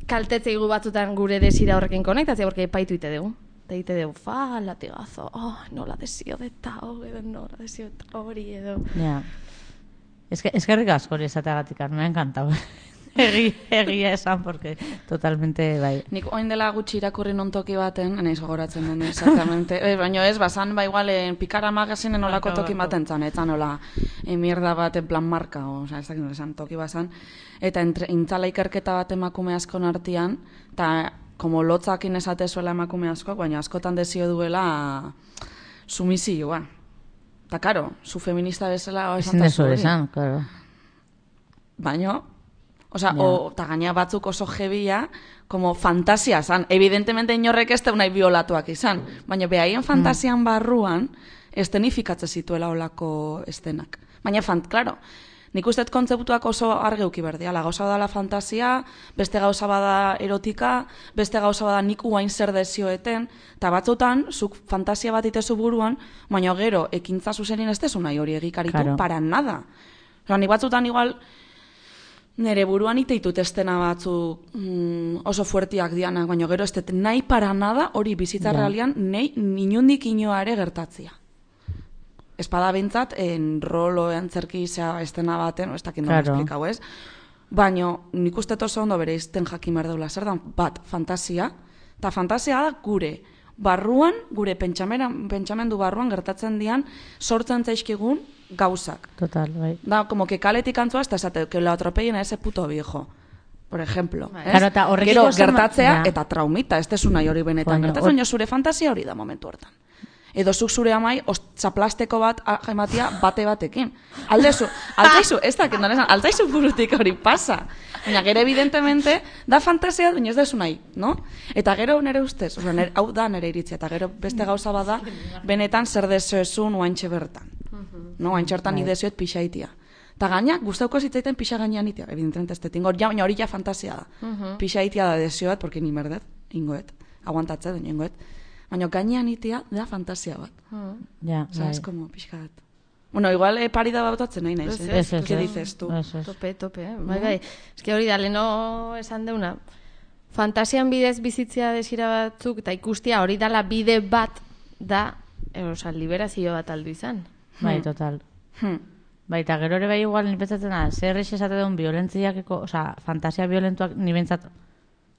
kaltetzeigu batzutan gure desira horrekin konektatzea, porque epaitu ite dugu. Eta ite dugu, fa, latigazo, oh, nola desio deta, oh, edo nola desio deta hori, edo... Ja. Eskerrik asko hori esateagatik, me ha encantado. Egi, egia esan, porque totalmente, bai. Nik oin dela gutxi irakurri non toki baten, naiz gogoratzen den, exactamente. E, baina ez, basan, ba igual, en Pikara magazinen olako toki baten zan, etzan ola, e, mierda bat en plan marka, o sea, ez dakit esan toki basan, eta entre, intzala ikerketa bat emakume askon artean, eta como lotzakin esate zuela emakume askoak, baina askotan desio duela sumizioa. Eta, karo, zu feminista bezala, o, esan dezu esan, claro. Baina, osea, yeah. O, eta gaina batzuk oso jebia, como fantasia zan. Evidentemente inorrek ez nahi biolatuak izan, baina behaien fantasian barruan estenifikatzen zituela olako estenak. Baina, fant, claro, nik uste kontzeptuak oso argeuki berdiala. Gauza bada fantasia, beste gauza bada erotika, beste gauza bada nik uain zer dezioeten, eta batzutan, zuk fantasia bat itezu buruan, baina gero, ekintza zuzenin ez dezu nahi hori egikaritu, claro. Para nada. Osa, nik batzutan igual, nere buruan iteitut estena batzu mm, oso fuertiak dianak, baina gero ez dut nahi para nada hori bizitza ja. Realian nahi inundik inoa ere gertatzia. Espada bintzat, en rolo antzerki zea estena baten, ez dakit nola esplikau ez, baina nik uste oso ondo bere izten jakin behar deula zer da, bat, fantasia, eta fantasia da gure barruan, gure pentsamendu barruan gertatzen dian, sortzen zaizkigun gauzak. Total, bai. Da, como que kaletik antzua, hasta esate, que lo atropellen a ese puto viejo. Por ejemplo. Bai. Claro, eta gero gertatzea, ja. Eta traumita, ez desu nahi hori benetan bueno, gertatzen, or... zure fantasia hori da momentu hortan. Edo zuk zure amai, txaplasteko bat jaimatia bate batekin. Aldezu, altaizu, ez dakit, altaizu burutik hori pasa. Baina gero evidentemente, da fantasia, baina ez desu nahi, no? Eta gero nere ustez, oza, nere, hau da nere iritzia, eta gero beste gauza bada, benetan zer dezoezun oaintxe bertan. No, oaintxertan idezioet pixaitia. Eta gaina, guztauko zitzaiten pixa gainean itea, evidentemente ez detingo, baina hori ja fantasia da. Pixaitia da dezioet, porque ni merdet, ingoet, aguantatze, duen ingoet. Baina gainean itea da fantasia bat. Ja, bai. Es como pixkat. Bueno, igual eh, parida bautatzen nahi naiz, eh? Ez, ez, ¿Qué dices tú? Tope, tope, eh? Bai, bai. Ez que hori da, leno esan deuna, fantasian bidez bizitzia desira batzuk, eta ikustia hori dala bide bat da, oza, liberazio bat aldu izan. Bai, total. Hmm. Bai, eta gero ere bai igual nipetzatzen da, zer eix esate duen violentziakeko, oza, fantasia violentuak nibentzat,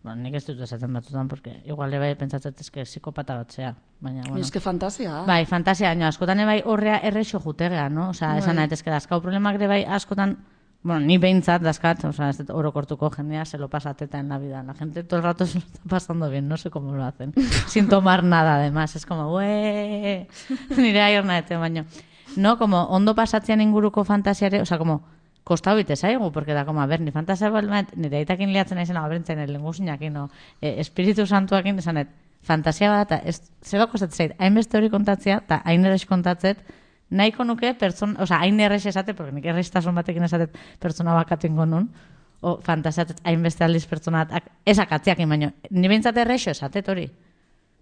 bueno, nik ez dut esaten batzutan, porque igual bai pentsatzen ezke psikopata bat zea. Baina, bueno. Ez que fantasia. Bai, fantasia, baina askotan bai horrea errexo jutegea, no? Oza, bai. Esan nahi, ezke dazkau problemak ere bai askotan, bueno, ni behintzat dazkat, oza, ez dut orokortuko jendea, se lo pasa teta en la vida. La gente todo el rato se lo está pasando bien, no sé cómo lo hacen. Sin tomar nada, además. Es como, ueee, nire aior naete, baina. No, como ondo pasatzean inguruko fantasiare, oza, como, kostau bite zaigu, porque da, como, a ver, ni fantasia balmet, nire aitakin liatzen aizena, abertzen, lenguzinak, no, eh, espiritu santuakin, esanet, fantasia bat, ez, zeba kostatzen zait, hainbeste hori kontatzea, eta hain errex kontatzet, nahiko nuke, pertsona, oza, hain errex esate, porque nik errextasun batekin esatet pertsona bakatengo nun, o fantasiatet hainbeste aldiz pertsona bat, esakatziak baino, ni behintzat errexo esatet hori,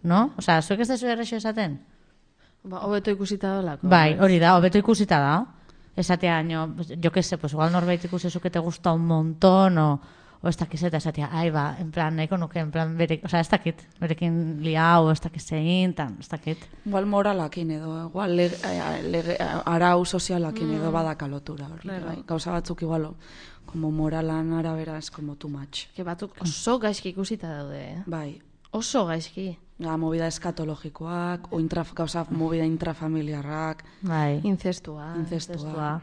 no? Oza, zuek ez dezu errexo esaten? Ba, hobeto ikusita dolako. Bai, hori da, hobeto ikusita da. Esatea, no, yo que sé, pues igual norbait ikusezu que te gusta un montón, o, o ez dakizeta, esatea, ai ba, en plan, nahiko nuke, en plan, berek, o sea, ez dakit, berekin liau, ez dakizein, tan, ez dakit. Igual moralakin edo, igual lege, lege, arau sozialakin edo mm. badaka lotura, hori, claro. Bai, gauza batzuk igual, como moralan arabera, es como too much. Que batzuk oso gaizki ikusita daude, eh? Bai. Oso gaizki. Ja, movida eskatologikoak, o intra, gauza, movida intrafamiliarrak. Bai. Incestua. Incestua.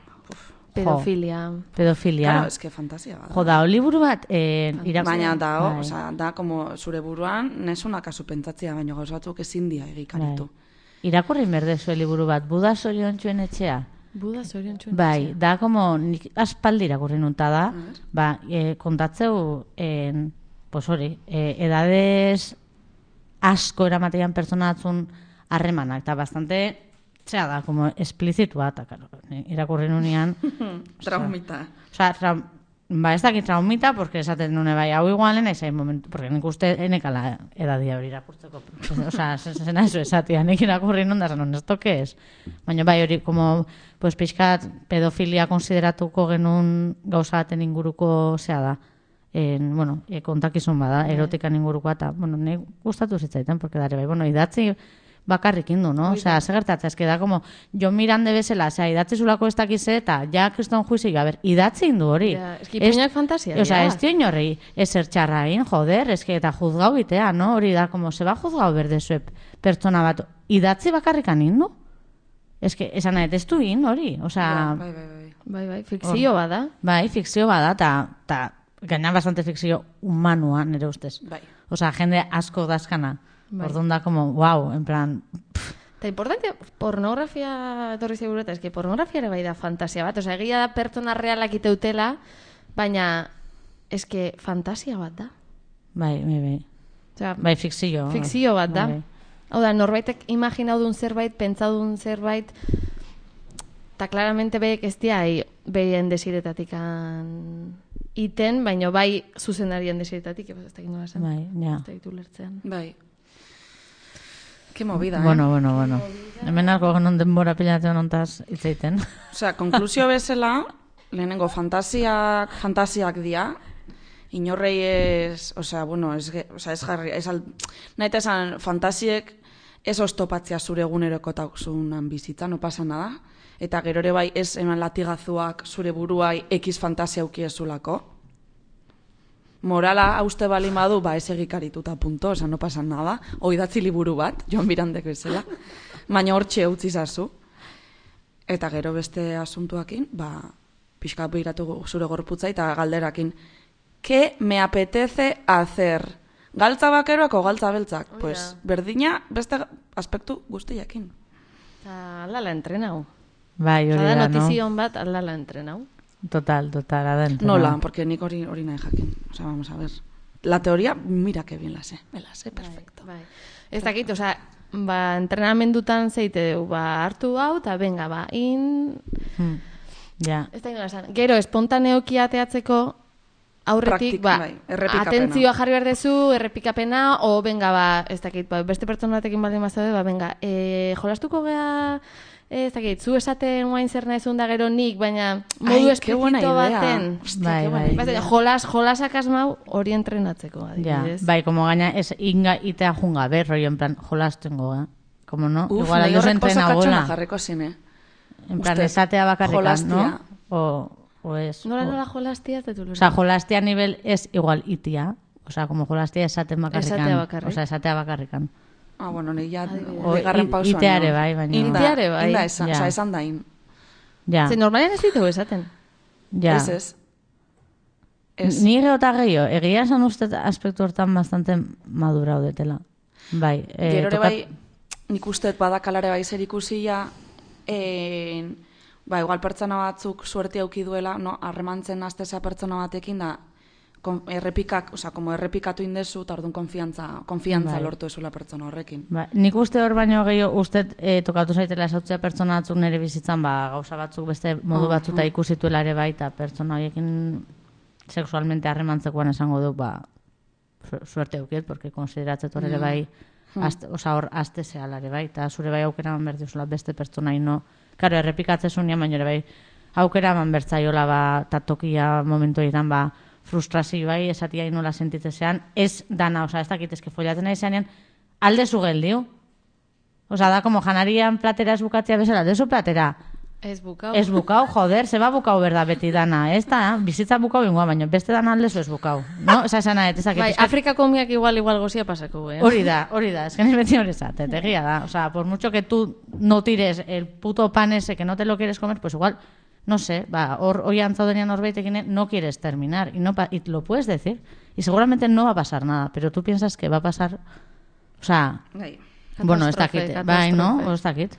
Pedofilia. Pedofilia. Claro, es que fantasia bada. Jo, da, liburu bat, eh, irakurri. Baina da, bai. O sea, da, como zure buruan, nesuna kasu pentsatzea, baina gauza batzuk ezin dia egikaritu. Bai. Irakurri merdezu liburu bat, Buda zoriontsuen etxea. Buda zoriontsuen bai, etxea. Bai, da, como, nik aspaldi irakurri nunta da, ba, eh, kontatzeu, eh, pues hori, eh, edades asko eramatean pertsona batzun harremanak, eta bastante, zera da, como esplizitua, eta, claro, irakurri nunean. Traumita. Osa, tra, ba, ez dakit traumita, porque esaten nune bai, hau igualen, ez hain momentu, porque nik uste enekala edadia hori irakurtzeko. Osa, zena eso esatia, nik irakurri non da, zanon, esto que es? Baina bai, hori, como, pues, pixkat pedofilia konsideratuko genuen gauza baten inguruko zea da. En, bueno, e, kontakizun bada, erotikan ingurukoa, eta, bueno, nik gustatu zitzaiten, porque dare bai, bueno, idatzi bakarrik indu, no? Osea, ze gertatzen, eske da, como, jo mirande bezala, osea, idatzi zulako ez dakize, eta ja kriston juizi, a ber, idatzi indu hori. Ja, eski puñak fantasia. Osea, ez dio inorri, ezer txarrain, joder, eske, eta juzgau itea, no? Hori da, como, se ba juzgau berdezuep pertsona bat, idatzi bakarrikan indu? Eske, esan nahi, ez du in, hori, osea... Bai, bai, bai. Bai, bai, fikzio bada. Bai, fikzio bada, eta, eta gaina bastante fikzio humanua, nire ustez. Bai. Osea, jende asko dazkana. Bai. Orduan da, como, wow, en plan... Eta importante, pornografia etorri seguro, eta eski pornografia ere bai da fantasia bat. Osea, egia da pertsona realak iteutela, baina eske fantasia bat da. Bai, bai, bai. Osea, Bai, fikzio. fikzio bat da. Bai, Hau da, norbaitek imaginaudun zerbait, pentsaudun zerbait, eta claramente beek ez dia behien desiretatik iten, baina bai zuzendarien desiretatik, ez da nola esan. bai, ja. Ez da ditu lertzean. Bai. Ke movida, eh? Bueno, bueno, bueno. Hemen alko genon denbora pilatzen ontaz itzeiten. Osea, konklusio bezala, lehenengo fantasiak, fantasiak dia, inorrei ez, osea, bueno, ez, ge- osea, ez jarri, ez al, nahi eta esan, fantasiek ez oztopatzea zure egunerokotazunan bizitza, no pasa nada, eta gero ere bai ez eman latigazuak zure buruai ekiz fantasia ukiezulako. Morala hauste bali madu, ba ez egikarituta punto, oza, no pasa nada, oidatzi liburu bat, Joan Mirandek bezala, baina hortxe utzi zazu. Eta gero beste asuntuakin, ba, pixka behiratu zure gorputza eta galderakin. ¿Qué me apetece hacer? Galtza bakeroak o galtza beltzak? Hori Pues, da. berdina beste aspektu guztiakin. Eta aldala entrenau. Bai, hori Osa da da, no? notizion bat aldala entrenau. Total, total, adentro. Nola, porque nik hori hori nahi jakin. O sea, vamos a ver. La teoría, mira que bien la sé. Me la sé, perfecto. Bai. Ez dakit, osea, ba, entrenamendutan zeite du, ba, hartu hau, eta benga, ba, in... Hmm. Ja. Ez da inola esan. Gero, espontaneoki ateatzeko aurretik, Praktik- ba, bai, errepikapena. atentzioa jarri behar dezu, errepikapena, o benga, ba, ez dakit, ba, beste pertsona batekin baldin bazaude, ba, benga, e, jolastuko gea, e, ez dakit, zu esaten guain zer nahizun da gero nik, baina modu Ai, qué buena esplizito idea. baten. Hostia, Bai, qué buena bai. Bas, idea. jolas, jolasak asmau hori entrenatzeko, Ja, adibidez. bai, como gaina ez inga itea junga, ber, rollo, en plan, jolastengo, eh? Como no, Uf, igual nahi alduz horrek oso entrena katxona bola. jarriko zine. En plan, Uste, esatea bakarrikan, jolastia. no? O, o es... Nola, o- nola jolastia, ez dut O sea, jolastia a nivel es igual itia. O sea, como jolastia esaten bakarrikan. Esatea bakarrik. O sea, esatea bakarrikan. Ah, bueno, ni ja O bigarren i- pausoan. iteare no. bai, baina- Inda, Iteare bai. Inda esan, Ja. osea, esan dain. Ja, Ze normalean ez ditu esaten. ja. Ez ez. Ez. Ni geota gehiago, egia esan uste aspektu hortan bastante madura udetela. Bai, eh, Gero ere tokat- bai, nik usteet badakalare bai zer ikusia, en, ba, igual pertsona batzuk suerte auki duela, no, harremantzen azteza pertsona batekin da, kon, errepikak, osea, como errepikatu indezu, eta orduan konfiantza, konfiantza Bai. lortu ezula pertsona horrekin. Ba, nik uste hor baino gehiago uste eh, tokatu zaitela esautzea pertsona batzuk nire bizitzan, ba, gauza batzuk beste modu Ah, batzuta ikusituela ere bai, eta pertsona horiekin sexualmente harremantzekoan esango du, ba, su- suerte aukiet, porque konsideratzet hor ere bai, azte, oza, hor azte zehala ere bai, eta zure bai aukera eman berduzula beste pertsona ino, karo, errepikatzezunean, baina ere bai, aukera eman bertzaiola, ba, ta tokia momentu egiten, ba, frustrazio bai, esatia inola sentitzean, ez dana, oza, ez dakitezke follatzen nahi zenean, alde zu geldiu. Oza, da, como janarian platera ez bukatzea bezala, dezu platera. Ez bukau. Ez bukau, joder, zeba bukau berda beti dana, ez da, bizitza bukau ingoa, baina beste dana aldezu ez bukau. No? Oza, esan nahi, ez dakit. Bai, pixkat- Afrikako miak igual igual gozia pasako, eh? Hori da, hori da, es que ni beti hori esatet, egia da. O sea, por mucho que tú no tires el puto pan ese que no te lo quieres comer, pues igual, no sé, va, hor, hoy antzaudenean norbaitekin no quieres terminar y, no pa- y lo puedes decir. Y seguramente no va a pasar nada, pero tú piensas que va a pasar, o sea, Bai, bueno, ez Catástrofe, dakit, bai, no? catástrofe. O ez dakit.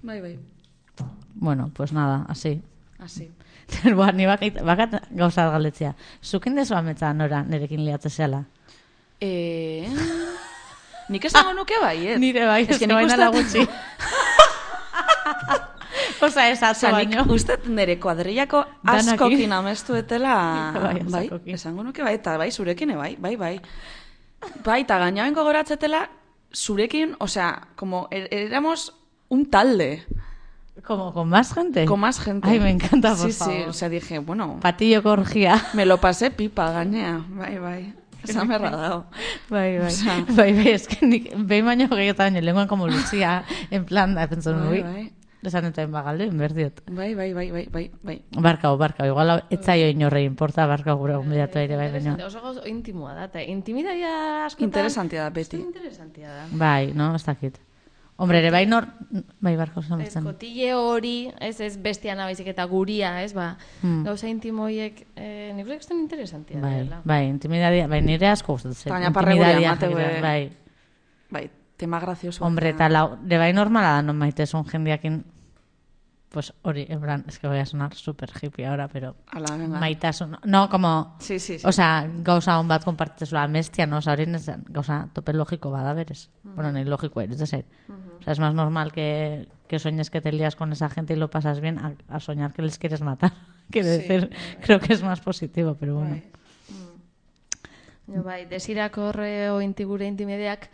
bai, bai, Bueno, pues nada, así. hasi. Ba, ni bakat, bakat gauza bat galdetzea. Zukin dezu ametza nora nerekin liatze zela? Eh, nik esango nuke bai, eh? Nire bai, Ez ez que que nik baina da uste- gutxi. Osa, ez atzo Osa, nik baino. uste nire kuadrillako Danaki. askokin amestuetela, Bai, bai, askokin. esango nuke bai, eta bai, zurekin, bai, bai, bai. Bai, eta gaina bengo goratzetela, zurekin, osea, como, er- éramos un talde, Como con más gente. con más gente. Ay, me encanta, por sí, favor. Sí, o sea, dije, bueno, Patillo corgía. me lo pasé pipa gainea, bai, bai. Esan berra dao. Bai, bai. Osea. Bai, bai, es que nik, behin baino gehiagotan baino, lenguan como Lucia, en plan, da, pentsatu Bai, nui. bai. Esan eta bagalde, inberdiot. Bai, bai, bai, bai, bai, bai. Barkau, barkau, igual etzaio inorre importa, barkau gure gonbidatu ere bai baino. Interesante, oso gauza intimoa da, eta intimidadia askotan... Interesantia da, beti. Interesantia da. Bai, no, ez dakit. Hombre, ere bai nor... Bai, barkau Ez, zamatzen. kotille hori, ez, ez bestiana baizik eta guria, ez, ba, Hmm. gauza intimoiek, eh, nik uste que interesantia Bai, dela. bai, intimidadia, bai, nire asko gustatzen. Baina parregure Intimidadia emateu, jakite, eh. bai. Bai, tema gracioso. Hombre, eta lau, de bai normala da non maitesun jendiakin, pues hori, en plan, es que voy a sonar super hippie ahora, pero Ala, venga. maitasun, no, como, Sí, sí, sí. o sea, gauza hon bat konpartitzezula amestia, no, o sea, hori ez, gauza tope logiko bada berez. Bueno, ni logiko eres de ser. O sea, es más normal que, que sueñes que te lías con esa gente y lo pasas bien a, a soñar que les quieres matar. Quiero Sí, decir, creo que es más positivo, pero bueno. Bai. Jo, bai, desirako horre o inti gure intimideak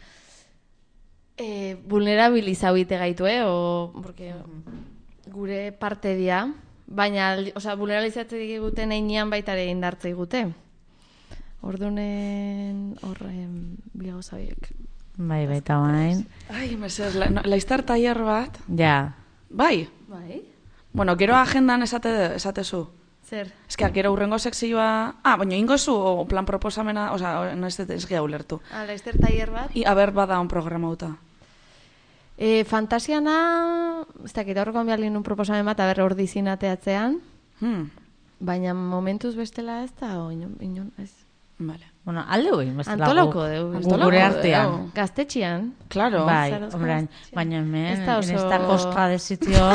eh, vulnerabilizau ite gaitu, eh? O, porque gure parte dia, baina, aldi- osea, vulnerabilizatzen diguten einean baita ere indartze digute. Ordunen horren bi gauza horiek. Bai, baita bain. Ai, mesedez, la, no, laiztar tailer bat. Ja, Bai. Bai? Bueno, gero agendan esate, esatezu. Zer? Eske, gero urrengo sekzioa... Ah, baina ingozu, o plan proposamena, oza, no ez dut ez geha ulertu. Ah, laizter tailer bat? I, aber bada on programauta. E, fantasiana, ez dakit aurreko bialin un proposamen bat, aber hor dizinateatzean, Hmm, baina momentuz bestela ez da, o inon, inon ez. vale. bueno, alde hoi, bestela Antolako gu- deu, gu antolako gure deu. artean. Gaztetxian, Claro. Bai, Zarozko hombre, gaztetxean. baina hemen, Ez da en oso- esta costa de sitio,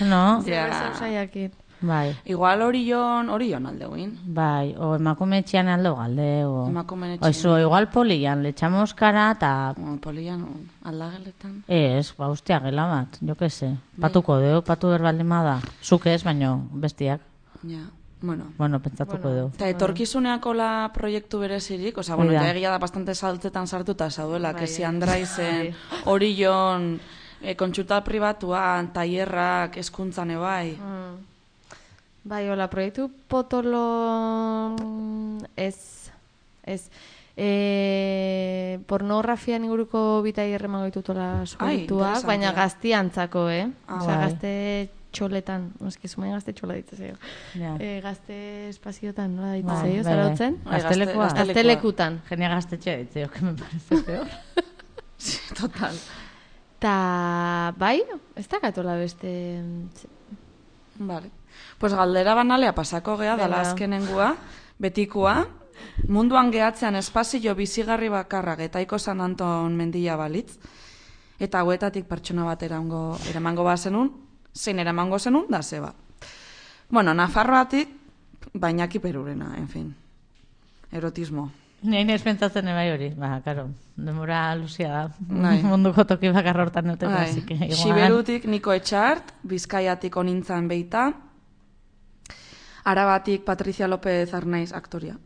no? Ja. zer saiakin. Bai, Igual orion, orion aldeuin. bai, o emakume etxean aldo galde, o... Emakumeen O eso, igual polian, le echamos cara, eta... O, polian, aldageletan. Ez, ba, ustia, gela bat, jo que se. Patuko deu, patu berbaldima da. Zuk ez, baino bestiak. Ja, bueno. Bueno, pentsatuko Bueno. deu. Eta etorkizuneakola proiektu berezirik, oza, bueno, Hori da. ja egia da bastante saltzetan sartuta zauela, Bai, que si bai. Andraizen, Orion, e, kontsulta pribatuan, tailerrak, eskuntzan ebai. Mm. Bai, hola, proiektu potolo ez, ez. E, pornografian inguruko bitai erremango ditutola sueltuak, interesantea. baina gaztiantzako, eh? Ah, Osea, bai. gazte txoletan, eski zumain gazte txola ditzezaio. Ja. E, gazte espaziotan, nola Bai, ditzezaio, bai, zarautzen? Bai, gazte- Gaztelekua. gazte- Gaztelekutan. Genia gaztetxe ditzeo, que me parece peor. Sí, total. Ta, bai, ez da katola beste... Vale. Pues galdera banalea pasako gea, dala Venga. azkenengua, betikua, munduan gehatzean espazio bizigarri bakarra getaiko San Anton mendia balitz, eta hauetatik pertsona bat eramango, eramango bazenun, zein eramango zenun, da zeba. Bueno, Nafarroatik, bainaki perurena, en fin. Erotismo. Ni nahi pentsatzen ebai hori, ba, karo, demora luzia da. Bai. Munduko toki bakarra hortan neuteko, Bai. así que igual... Siberutik Niko Etxart, Bizkaiatik onintzan beita, Arabatik Patricia López Arnaiz aktoria,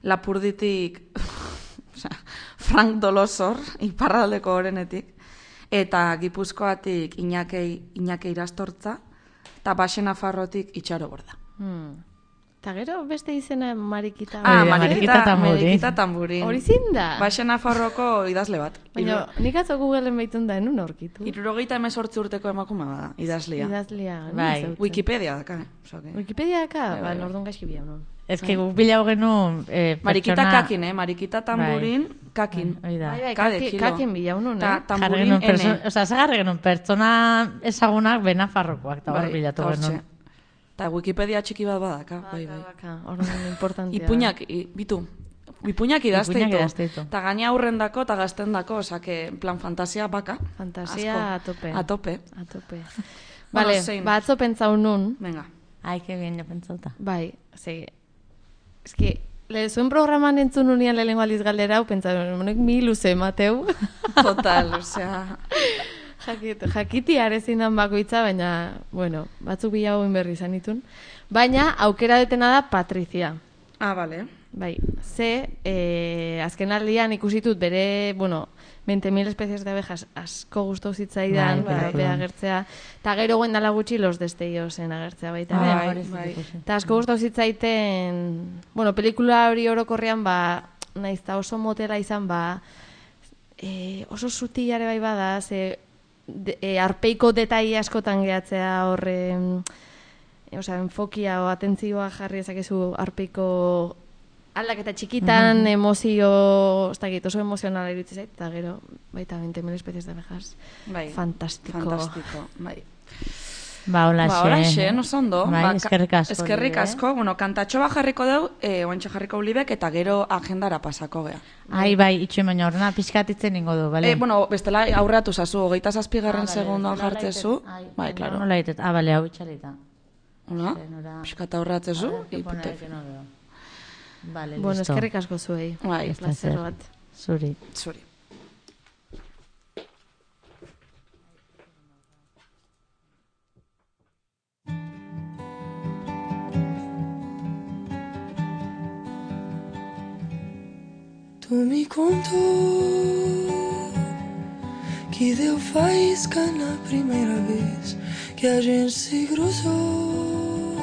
Lapurditik osea, Frank Dolosor, iparraldeko orenetik, eta Gipuzkoatik Iñakei, Iñakei Irastortza, eta Baxe Nafarrotik Itxaro Borda. Hmm. Ta gero beste izena Marikita. Ah, Hori da, Marikita, Marikita Tamburin. Marikita Tamburin. Hori zinda? Baxe Nafarroko idazle bat. Baina nik atzo Googleen beitun da, enun aurkitu. Irurogeita emezortzi urteko emakume bada, idazlia. Idazlia. non Bai. ezagutzen. Wikipedia daka, eh? Osea que- Wikipedia daka? Bai, Ba, bai, nordun gaizki bia non. Ez que guk bilau genuen eh, Marikita pertsona... kakin, eh? Marikita tamburin, kakin. Hori da. Bai, bai, Kade kaki, kilo. kakin bila unun, Ta eh? Jarri tamburin genuen perso- ene. Osea, zagarri genuen pertsona ezagunak benafarrokoak, eta hor Bai, bilatu ta hortxe. genuen. Ta Wikipedia txiki bat badaka, bai, bai. Baka, orduan importantia. Ipuñak, i, bitu. Ipuñak idazteitu. Ipuinak idazteitu. Ta gaina aurrendako eta gaztendako, osake, en plan fantasia baka. Fantasia Asko. a tope. A tope. A tope. Bueno, Vale, zein? ba, atzo pentsau nun, Venga. Ai, que bien, jo pentsauta. bai, ze, eski, le, zuen programan entzun unian lehenengo aldiz galdera, hau pentsau, honek mi luze, Mateu. Total, osea... Jakit, jakiti arezin dan bakoitza, baina, bueno, batzuk bilagoen berri izan ditun. Baina, aukera detena da Patrizia. Ah, bale. Bai, ze, eh, azken aldian ikusitut bere, bueno, veinte mil especies de abejas asko gustau zitzaidan, Bai, bere bai. agertzea, eta gero guendala gutxi los destellosen agertzea baita. Bai, ere. bai, bai. Eta asko gustau zitzaiten, bueno, pelikula hori orokorrean, ba, naiz eta oso motela izan, ba, e, oso sutilare bai bada, ze de, e, arpeiko detai askotan gehatzea horre, e, osea, enfokia o atentzioa jarri ezakezu arpeiko aldaketa txikitan, mm-hmm. emozio, ez dakit, oso emozionala iritsi zait, eta gero, baita veinte mil especies de abejas. Bai. Fantastiko. Fantastiko, bai. Ba, hola Ba, horaxe, oso ondo. Bai, Ba, ka- eskerrik asko. Eskerrik Libe. asko. Bueno, kantatxo bat jarriko deu, eh, oantxe jarriko ulibek, eta gero agendara pasako gea. Ai, bai, itxuen baina horrena pixkatitzen ingo du, bale? Eh, bueno, bestela aurratu zazu, hogeita zazpigarren Ah, bale, segundoan nola jartzezu. laitet? Ai, Bai, baina klaro. Nola ditet? Ah, bale, hau itxalita. Hola, Ze, nora- pixkata aurratzezu. A ver, que pone ipute. ahí que no veo. Vale, Bueno, listo. eskerrik asko zuei. Bai, Ez da Placer zer. bat. Zuri. Zuri. Tu me contou que deu faísca na primeira vez que a gente se cruzou,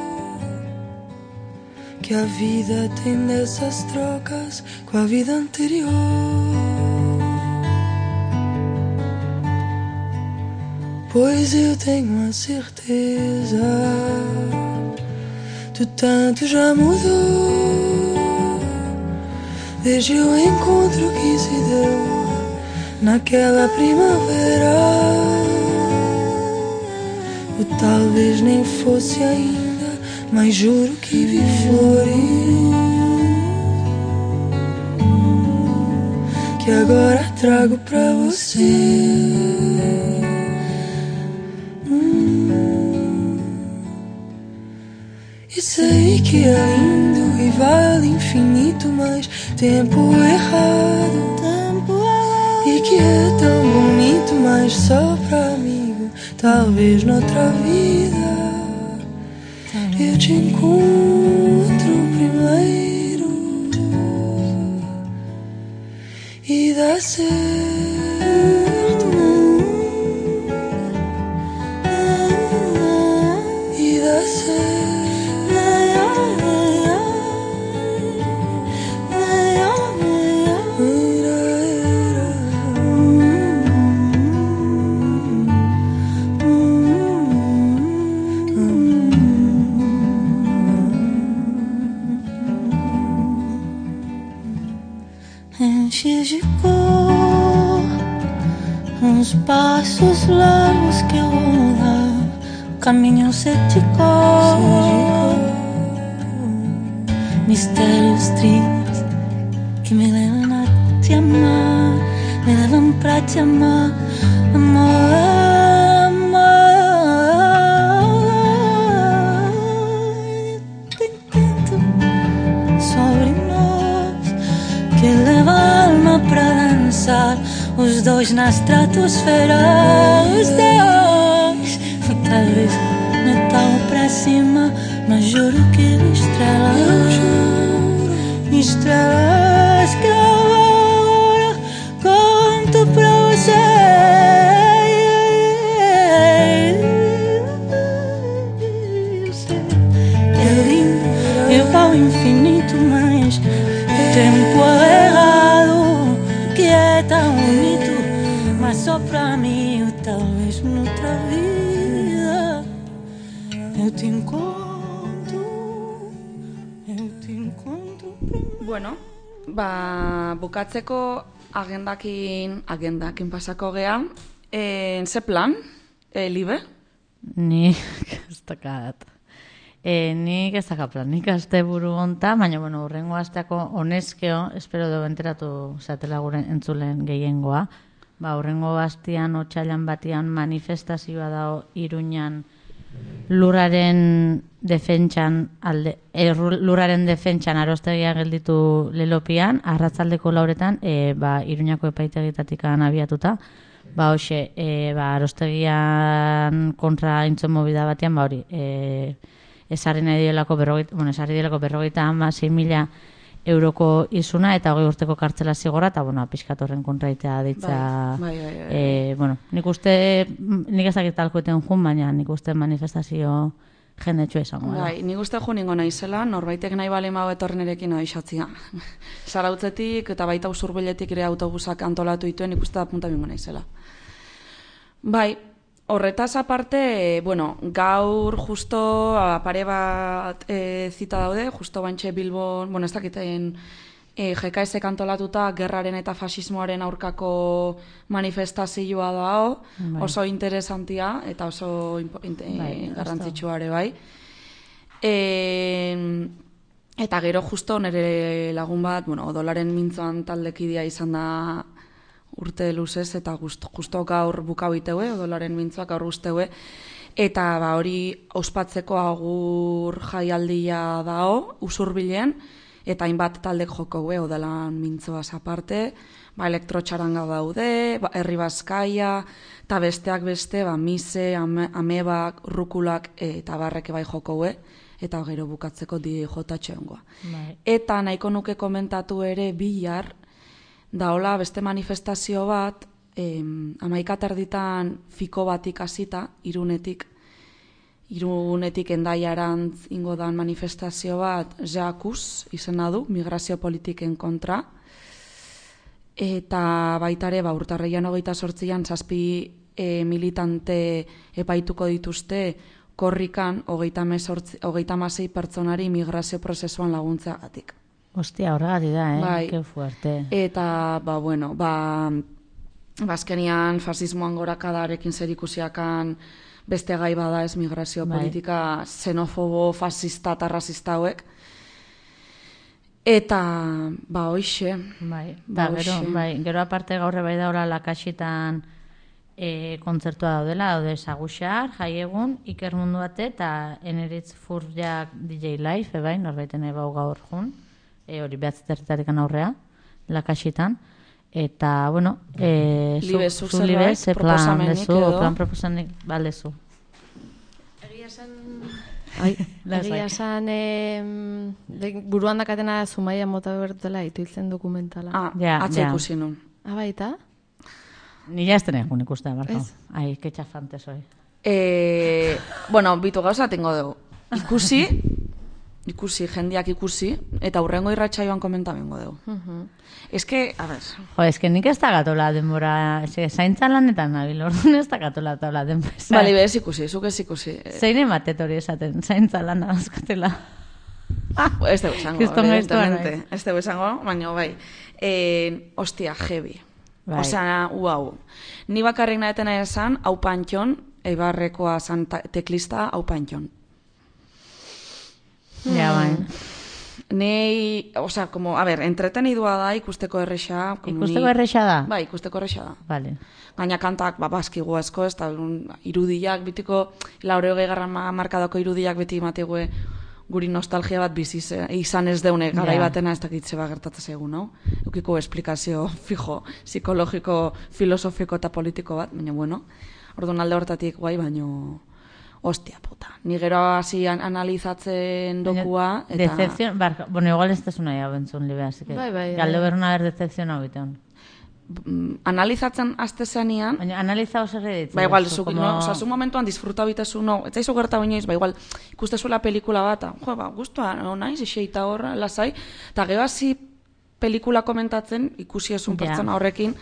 que a vida tem dessas trocas com a vida anterior. Pois eu tenho a certeza, tu tanto já mudou desde o encontro que se deu naquela primavera. Eu talvez nem fosse ainda, mas juro que vi flores que agora trago pra você. E sei que é lindo e vale infinito, mas tempo errado, tempo errado. E que é tão bonito, mas só pra amigo. Talvez noutra vida eu te encontro primeiro e dá certo. E dá certo. Enches de cor uns passos largos que eu vou dar, caminho cético, mistérios tristes que me levam a te amar, me levam pra te amar, amor, amor. Te intento sobre nós que leva a alma pra dançar, os dois na estratosfera, os dois. E talvez não é tão pra cima, mas juro que estrelas, eu juro, estrelas que agora conto pra você. Eu sei que é lindo, eu ao infinito, mas o tempo é errado, que é tão bonito, mas só pra mim, ou talvez noutra vida eu te encontro, eu te encontro primeiro. Bueno, ba, bukatzeko agendakin, agendakin pasako gea. Eh, ze plan, eh, Libe? Nik ez dakat. E, nik ez dakat plan, nik aste buru honta, baina, bueno, urrengo asteako honezkeo, espero dugu enteratu zatela gure entzulen gehiengoa. Ba, urrengo astean, otsailan batian manifestazioa dago Iruñan lurraren defentsan alde, e, lurraren defentsan arostegia gelditu lelopian, arratzaldeko lauretan, e, ba, Iruñako epaitegitatik abiatuta, Ba, hoxe, e, ba, arostegian kontra intzon mobida batean, ba, hori, e, esarri nahi dielako berrogeita, bueno, esarri dielako berrogeita hamasei mila euroko izuna eta hogei urteko kartzela zigorra, eta, bueno, pixkat horren kontraitea ditza, Bai, bai, bai, bai. e, bueno, nik uste, nik ezakit talkoeten jun, baina nik uste manifestazio jendetxo esango. da. Bai, nik uste jo ningo naizela, norbaitek nahi bale mau etorren erekin aixatzia. Zarautzetik eta baita usurbiletik ere autobusak antolatu dituen, nik uste da punta bingo naizela. Bai, horretaz aparte, bueno, gaur justo pare bat e, zita daude, justo bantxe Bilbon, bueno, ez dakiten e, G K S antolatuta gerraren eta fasismoaren aurkako manifestazioa dao, Bai. oso interesantia eta oso impo- inte- Bai, garrantzitsua ere bai. E, eta gero justo nire lagun bat, bueno, odolaren mintzoan taldekidea izan da urte luzez eta justo, justo gaur bukau iteue, odolaren mintzoak gaur guzteue, eta ba, hori ospatzeko agur jaialdia dao, usurbilen, eta hainbat taldek jokoue, odolan mintzoaz aparte, ba, elektrotxaranga daude, ba, herri bazkaia, eta besteak beste, ba, mise, ame, amebak, rukulak eta barreke bai jokoue, eta gero bukatzeko di jotatxo ongoa. Bai. Eta nahiko nuke komentatu ere bihar, daola beste manifestazio bat, em, amaika terditan fiko bat ikasita, irunetik, irunetik endaiarantz ingo dan manifestazio bat, jakuz izena du, migrazio politiken kontra, eta baitare, ba, urtarreian hogeita sortzian, zazpi e, militante epaituko dituzte, korrikan hogeita hamasei pertsonari migrazio prozesuan laguntzeagatik. Ostia, horregatik da, eh? Bai. Que fuerte. Eta, ba, bueno, ba, bazkenian fasismoan gorakadarekin zerikusiakan beste gai bada ez migrazio Bai. politika xenofobo, fasista eta rasista hauek. Eta, ba, hoixe. Bai, Ba, da, gero, hoxe. bai, gero aparte gaurre bai daula lakasitan e, kontzertua daudela, daude Saguxar, Jaiegun, Iker Munduate eta Eneritz Furriak D J Live, ebai, norbaiten ebau gaur jun, e, hori behatziterritarekan aurrea, lakasitan, eta, bueno, e, zu, Libe, zuk zu zerbait, libe, ze plan proposamenik dezu, edo? plan proposamenik, balezu. Egia esan... Ai, Egia esan, em, de- buruan dakatena Zumaia mota bertela ituiltzen dokumentala. Ah, Ja, atze ja. ikusi nun. Ah, baita? Ni ya estenen egun ikusten, barkau. Ez. Ai, que txafante soy. E, bueno, bitu gauza tengo dugu. Ikusi, ikusi, jendiak ikusi, eta hurrengo irratsaioan komenta bengo dugu. Mhm. Ez que, a ver, Jo, es que nik ez da gatola denbora, eske, zaintza lanetan nabil, orduan ez da gatola taula denbora. bali, bez ikusi, zuk ez ikusi. E, Zein ematet hori esaten, zaintza lana azkatela. ez dugu esango, Kriston gaiztoa evidentemente. naiz. Ez dugu esango, baina bai. E, ostia, heavy. Bai. Osea, uau. Ni bakarrik nahetena esan, hau pantxon, eibarrekoa zan ta- teklista, hau pantxon. Ja, bai. Nei, osea, como, a ver, entretenidua da, ikusteko erresa. como Ikusteko ni- erresa da? Bai, ikusteko erresa da. Vale. Gaina kantak, ba, baskigu asko, ez da, un, irudiak, bitiko, laure hogei garran markadako irudiak beti emategue guri nostalgia bat bizi ze- izan ez deune, garai Ja. batena ez dakitze ba gertatzen zaigu, no? Eukiko esplikazio fijo, psikologiko, filosofiko eta politiko bat, baina bueno, orduan alde hortatik guai, baino, ostia puta. Ni gero hasi an analizatzen dokua, eta... Decepción, barka, bueno, igual ez tesuna ya bentzun libe, así que... Bai, bai, Galde bai. beruna ber decepción hau biteon. mm, analizatzen azte zenean, Baina analiza oso erreditzen. ba igual, zu, no, oza, zu momentuan disfruta bitezu, no, ez zaizu gerta bainoiz, ba igual, ikustezuela pelikula bat, jo, ba, guztua, no, naiz, iseita hor, lasai, eta gero hasi pelikula komentatzen, ikusi ezun Ja. pertsona horrekin,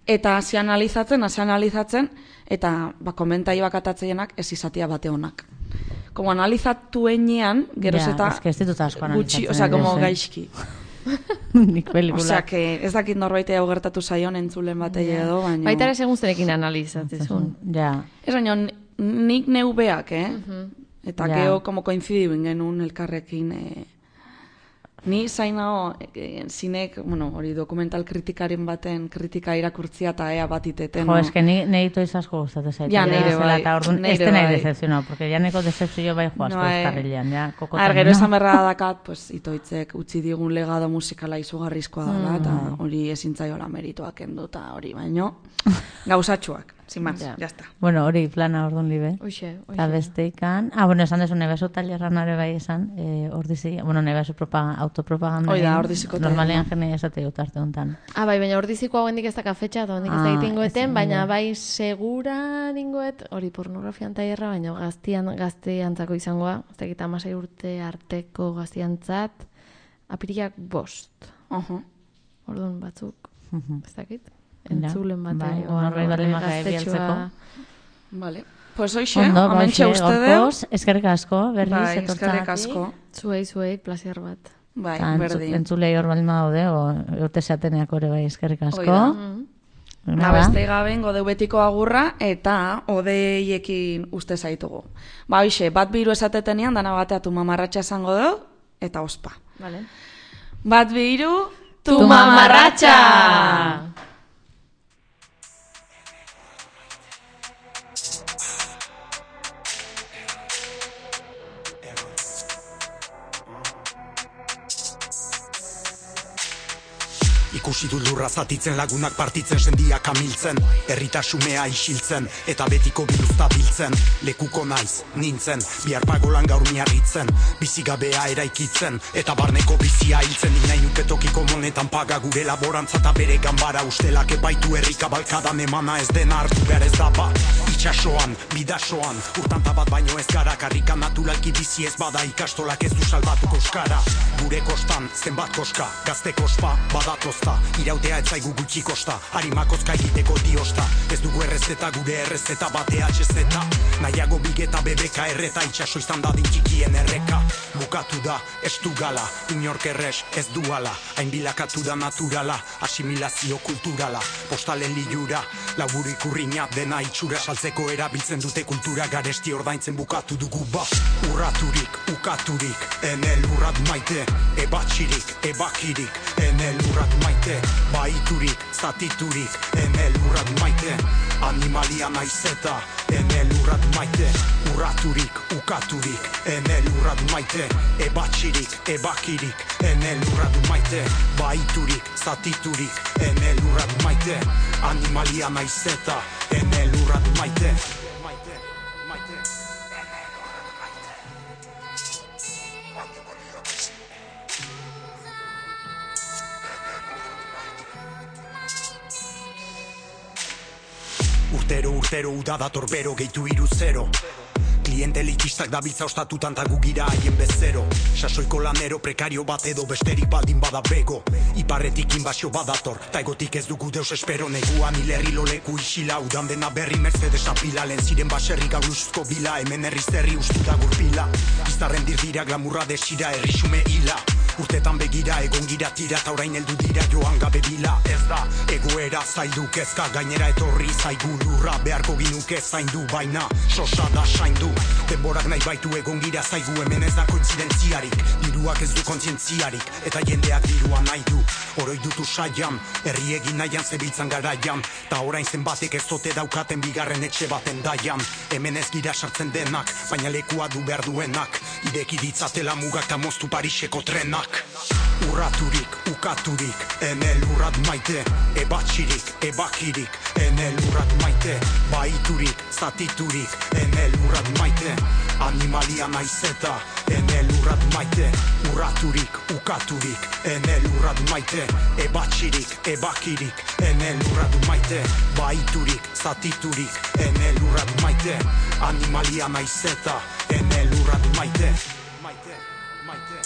eta hasi analizatzen, hasi analizatzen, eta ba, komentaioak atatzeienak ez izatia bate honak. Como analizatu enean, geroz Ja, eta es que ez ditut asko gutxi, analizatzen, osea, como ere, gaizki. Nik pelikula. Osea, que ez dakit norbait hau gertatu zaion entzulen batei edo, baina... Baita ere segun zerekin analizatzen. Ja, Ez baina, nik neubeak, eh? Eta Ja. gero, como koinzidibin genuen elkarrekin, eh, Ni zainao, e, zinek, bueno, hori dokumental kritikaren baten kritika irakurtzia eta ea bat iteten. Jo, eske ni neito izasko gustatu zaitu. Ja, neire bai. Eta orduan, ez neire denai bai. decepzionau, porque ja neko decepzio bai jo asko No, eh, eskarrilean, ja, kokotan. Ar, gero no? esan berra dakat, pues, itoitzek utzi digun legado musikala izugarrizkoa dela, eta hori ezintzaiola merituak kendu, eta hori baino, gauzatxuak, sin más, Ja. ya está. Bueno, hori plana orduan libe. Hoxe, Eta hoxe. besteikan, ah, bueno, esan dezu nebezu talerran are bai esan, eh, ordizi, bueno, nebezu propaganda, autopropaganda. Hoi da, egin, ordiziko talerra. Normalean jene esate dut arte honetan. Ah, bai, baina ordiziko hau hendik ez daka fetxa, eta hendik ez Ah, da egitingoeten, ez, baina bai. bai segura dingoet, hori pornografian taierra, baina gaztian, gazteantzako izangoa, ez dakit amasei urte arteko gaztiantzat, apirilak bost. Ojo. Orduan batzuk, Mhm. ez dakit, Ja, entzulen bai, batean. norbait baldin bada bialtzeko. Vale. Pues hoxe, Ondo, amentxe bauxe, uste deu. gaurkoz, eskerrik asko, berriz, Bai, etortzagatik. eskerrik asko. Zuei, zuei, placer bat. Bai, Eta entzu- berdin. entzulei hor baldin badaude, o ote zateneak ore bai, eskerrik asko. Hoi da. Nada. Ba, beste gabe ingo deu betiko agurra eta odeiekin uste zaitugu. Ba, hoxe, bat biru esatetenian, dana bateatu mamarratxa esango deu, eta ospa. Vale. Bat biru, Tu mamarratxa! Ikusi dut lurra zatitzen, lagunak partitzen, sendiak amiltzen, herritasumea isiltzen, eta betiko biluzta biltzen, lekuko naiz, nintzen, bihar pagolan gaur miarritzen, bizigabea eraikitzen, eta barneko bizia hiltzen, nik nahi nuke tokiko monetan paga gure laborantza eta bere ganbara ustelak epaitu herrika balkadan emana ez dena hartu behar ez da bat, itxasoan, bidasoan, urtanta bat baino ez gara, karrika naturalki bizi ez bada ikastolak ez du salbatuko euskara, gure kostan, zenbat koska, gazte kospa, badatozta, irautea ez zaigu gutxi kosta, harimakozka egiteko diosta, ez dugu errezeta gure errezeta batea txezeta, nahiago bigeta bebeka erreta, itxaso izan dadin txikien erreka, bukatu da, ez du gala, inork errez ez duala, hain bilakatu da naturala, asimilazio kulturala, postalen liura, laburu ikurriña dena itxura saltzeko erabiltzen dute kultura garesti ordaintzen bukatu dugu bat, urraturik, ukaturik, enel urrat maite, ebatxirik, ebakirik, enel urrat maite, baiturik, zatiturik, enel urrat maite, animalia naizeta, enel urrat maite, urraturik, ukaturik, enel urrat maite, ebatxirik, ebakirik, enel urrat maite, baiturik, zatiturik, enel urrat maite, animalia naizeta, enel urrat maite. Urtero, urtero, uda dator bero, gehitu iru zero. Kliente elitistak dabiltza ostatutan ta gugira haien bezero. Sasoiko lanero prekario bat edo besterik baldin bada bego. Iparretik inbasio badator, ta egotik ez dugu deus espero. Neguan hilerri loleku isila, udan dena berri Mercedes apila. Lehen ziren baserrik gauruzko bila, hemen herriz herri ustu da gurpila. Izarren dirdira, glamurra desira, herrixume hila. Urtetan begira, egon gira tira, eta orain heldu dira joan gabe bila. Ez da, egoera zaildu kezka, gainera etorri zaigu lurra, beharko ginuke zaindu, baina sosa da saindu. Denborak nahi baitu egon gira zaigu, hemen ez da kointzidentziarik, diruak ez du kontzientziarik, eta jendeak dirua nahi du. Oroi dutu saian, herri egin nahian zebiltzan garaian, ta orain zenbatek ez zote daukaten bigarren etxe baten daian. Hemen ez gira sartzen denak, baina lekua du behar duenak, ireki ditzatela mugak ta moztu Pariseko trenak. Urraturik, ukaturik, enel urrat maite, ebatxirik, ebakirik, enel urrat maite, baiturik, zatiturik, enel urrat maite, animalia naizeta, enel urrat maite, urraturik, ukaturik, enel urrat maite, ebatxirik, ebakirik, enel urrat maite, baiturik, zatiturik, enel urrat maite, animalia naizeta, enel urrat maite, maite, maite.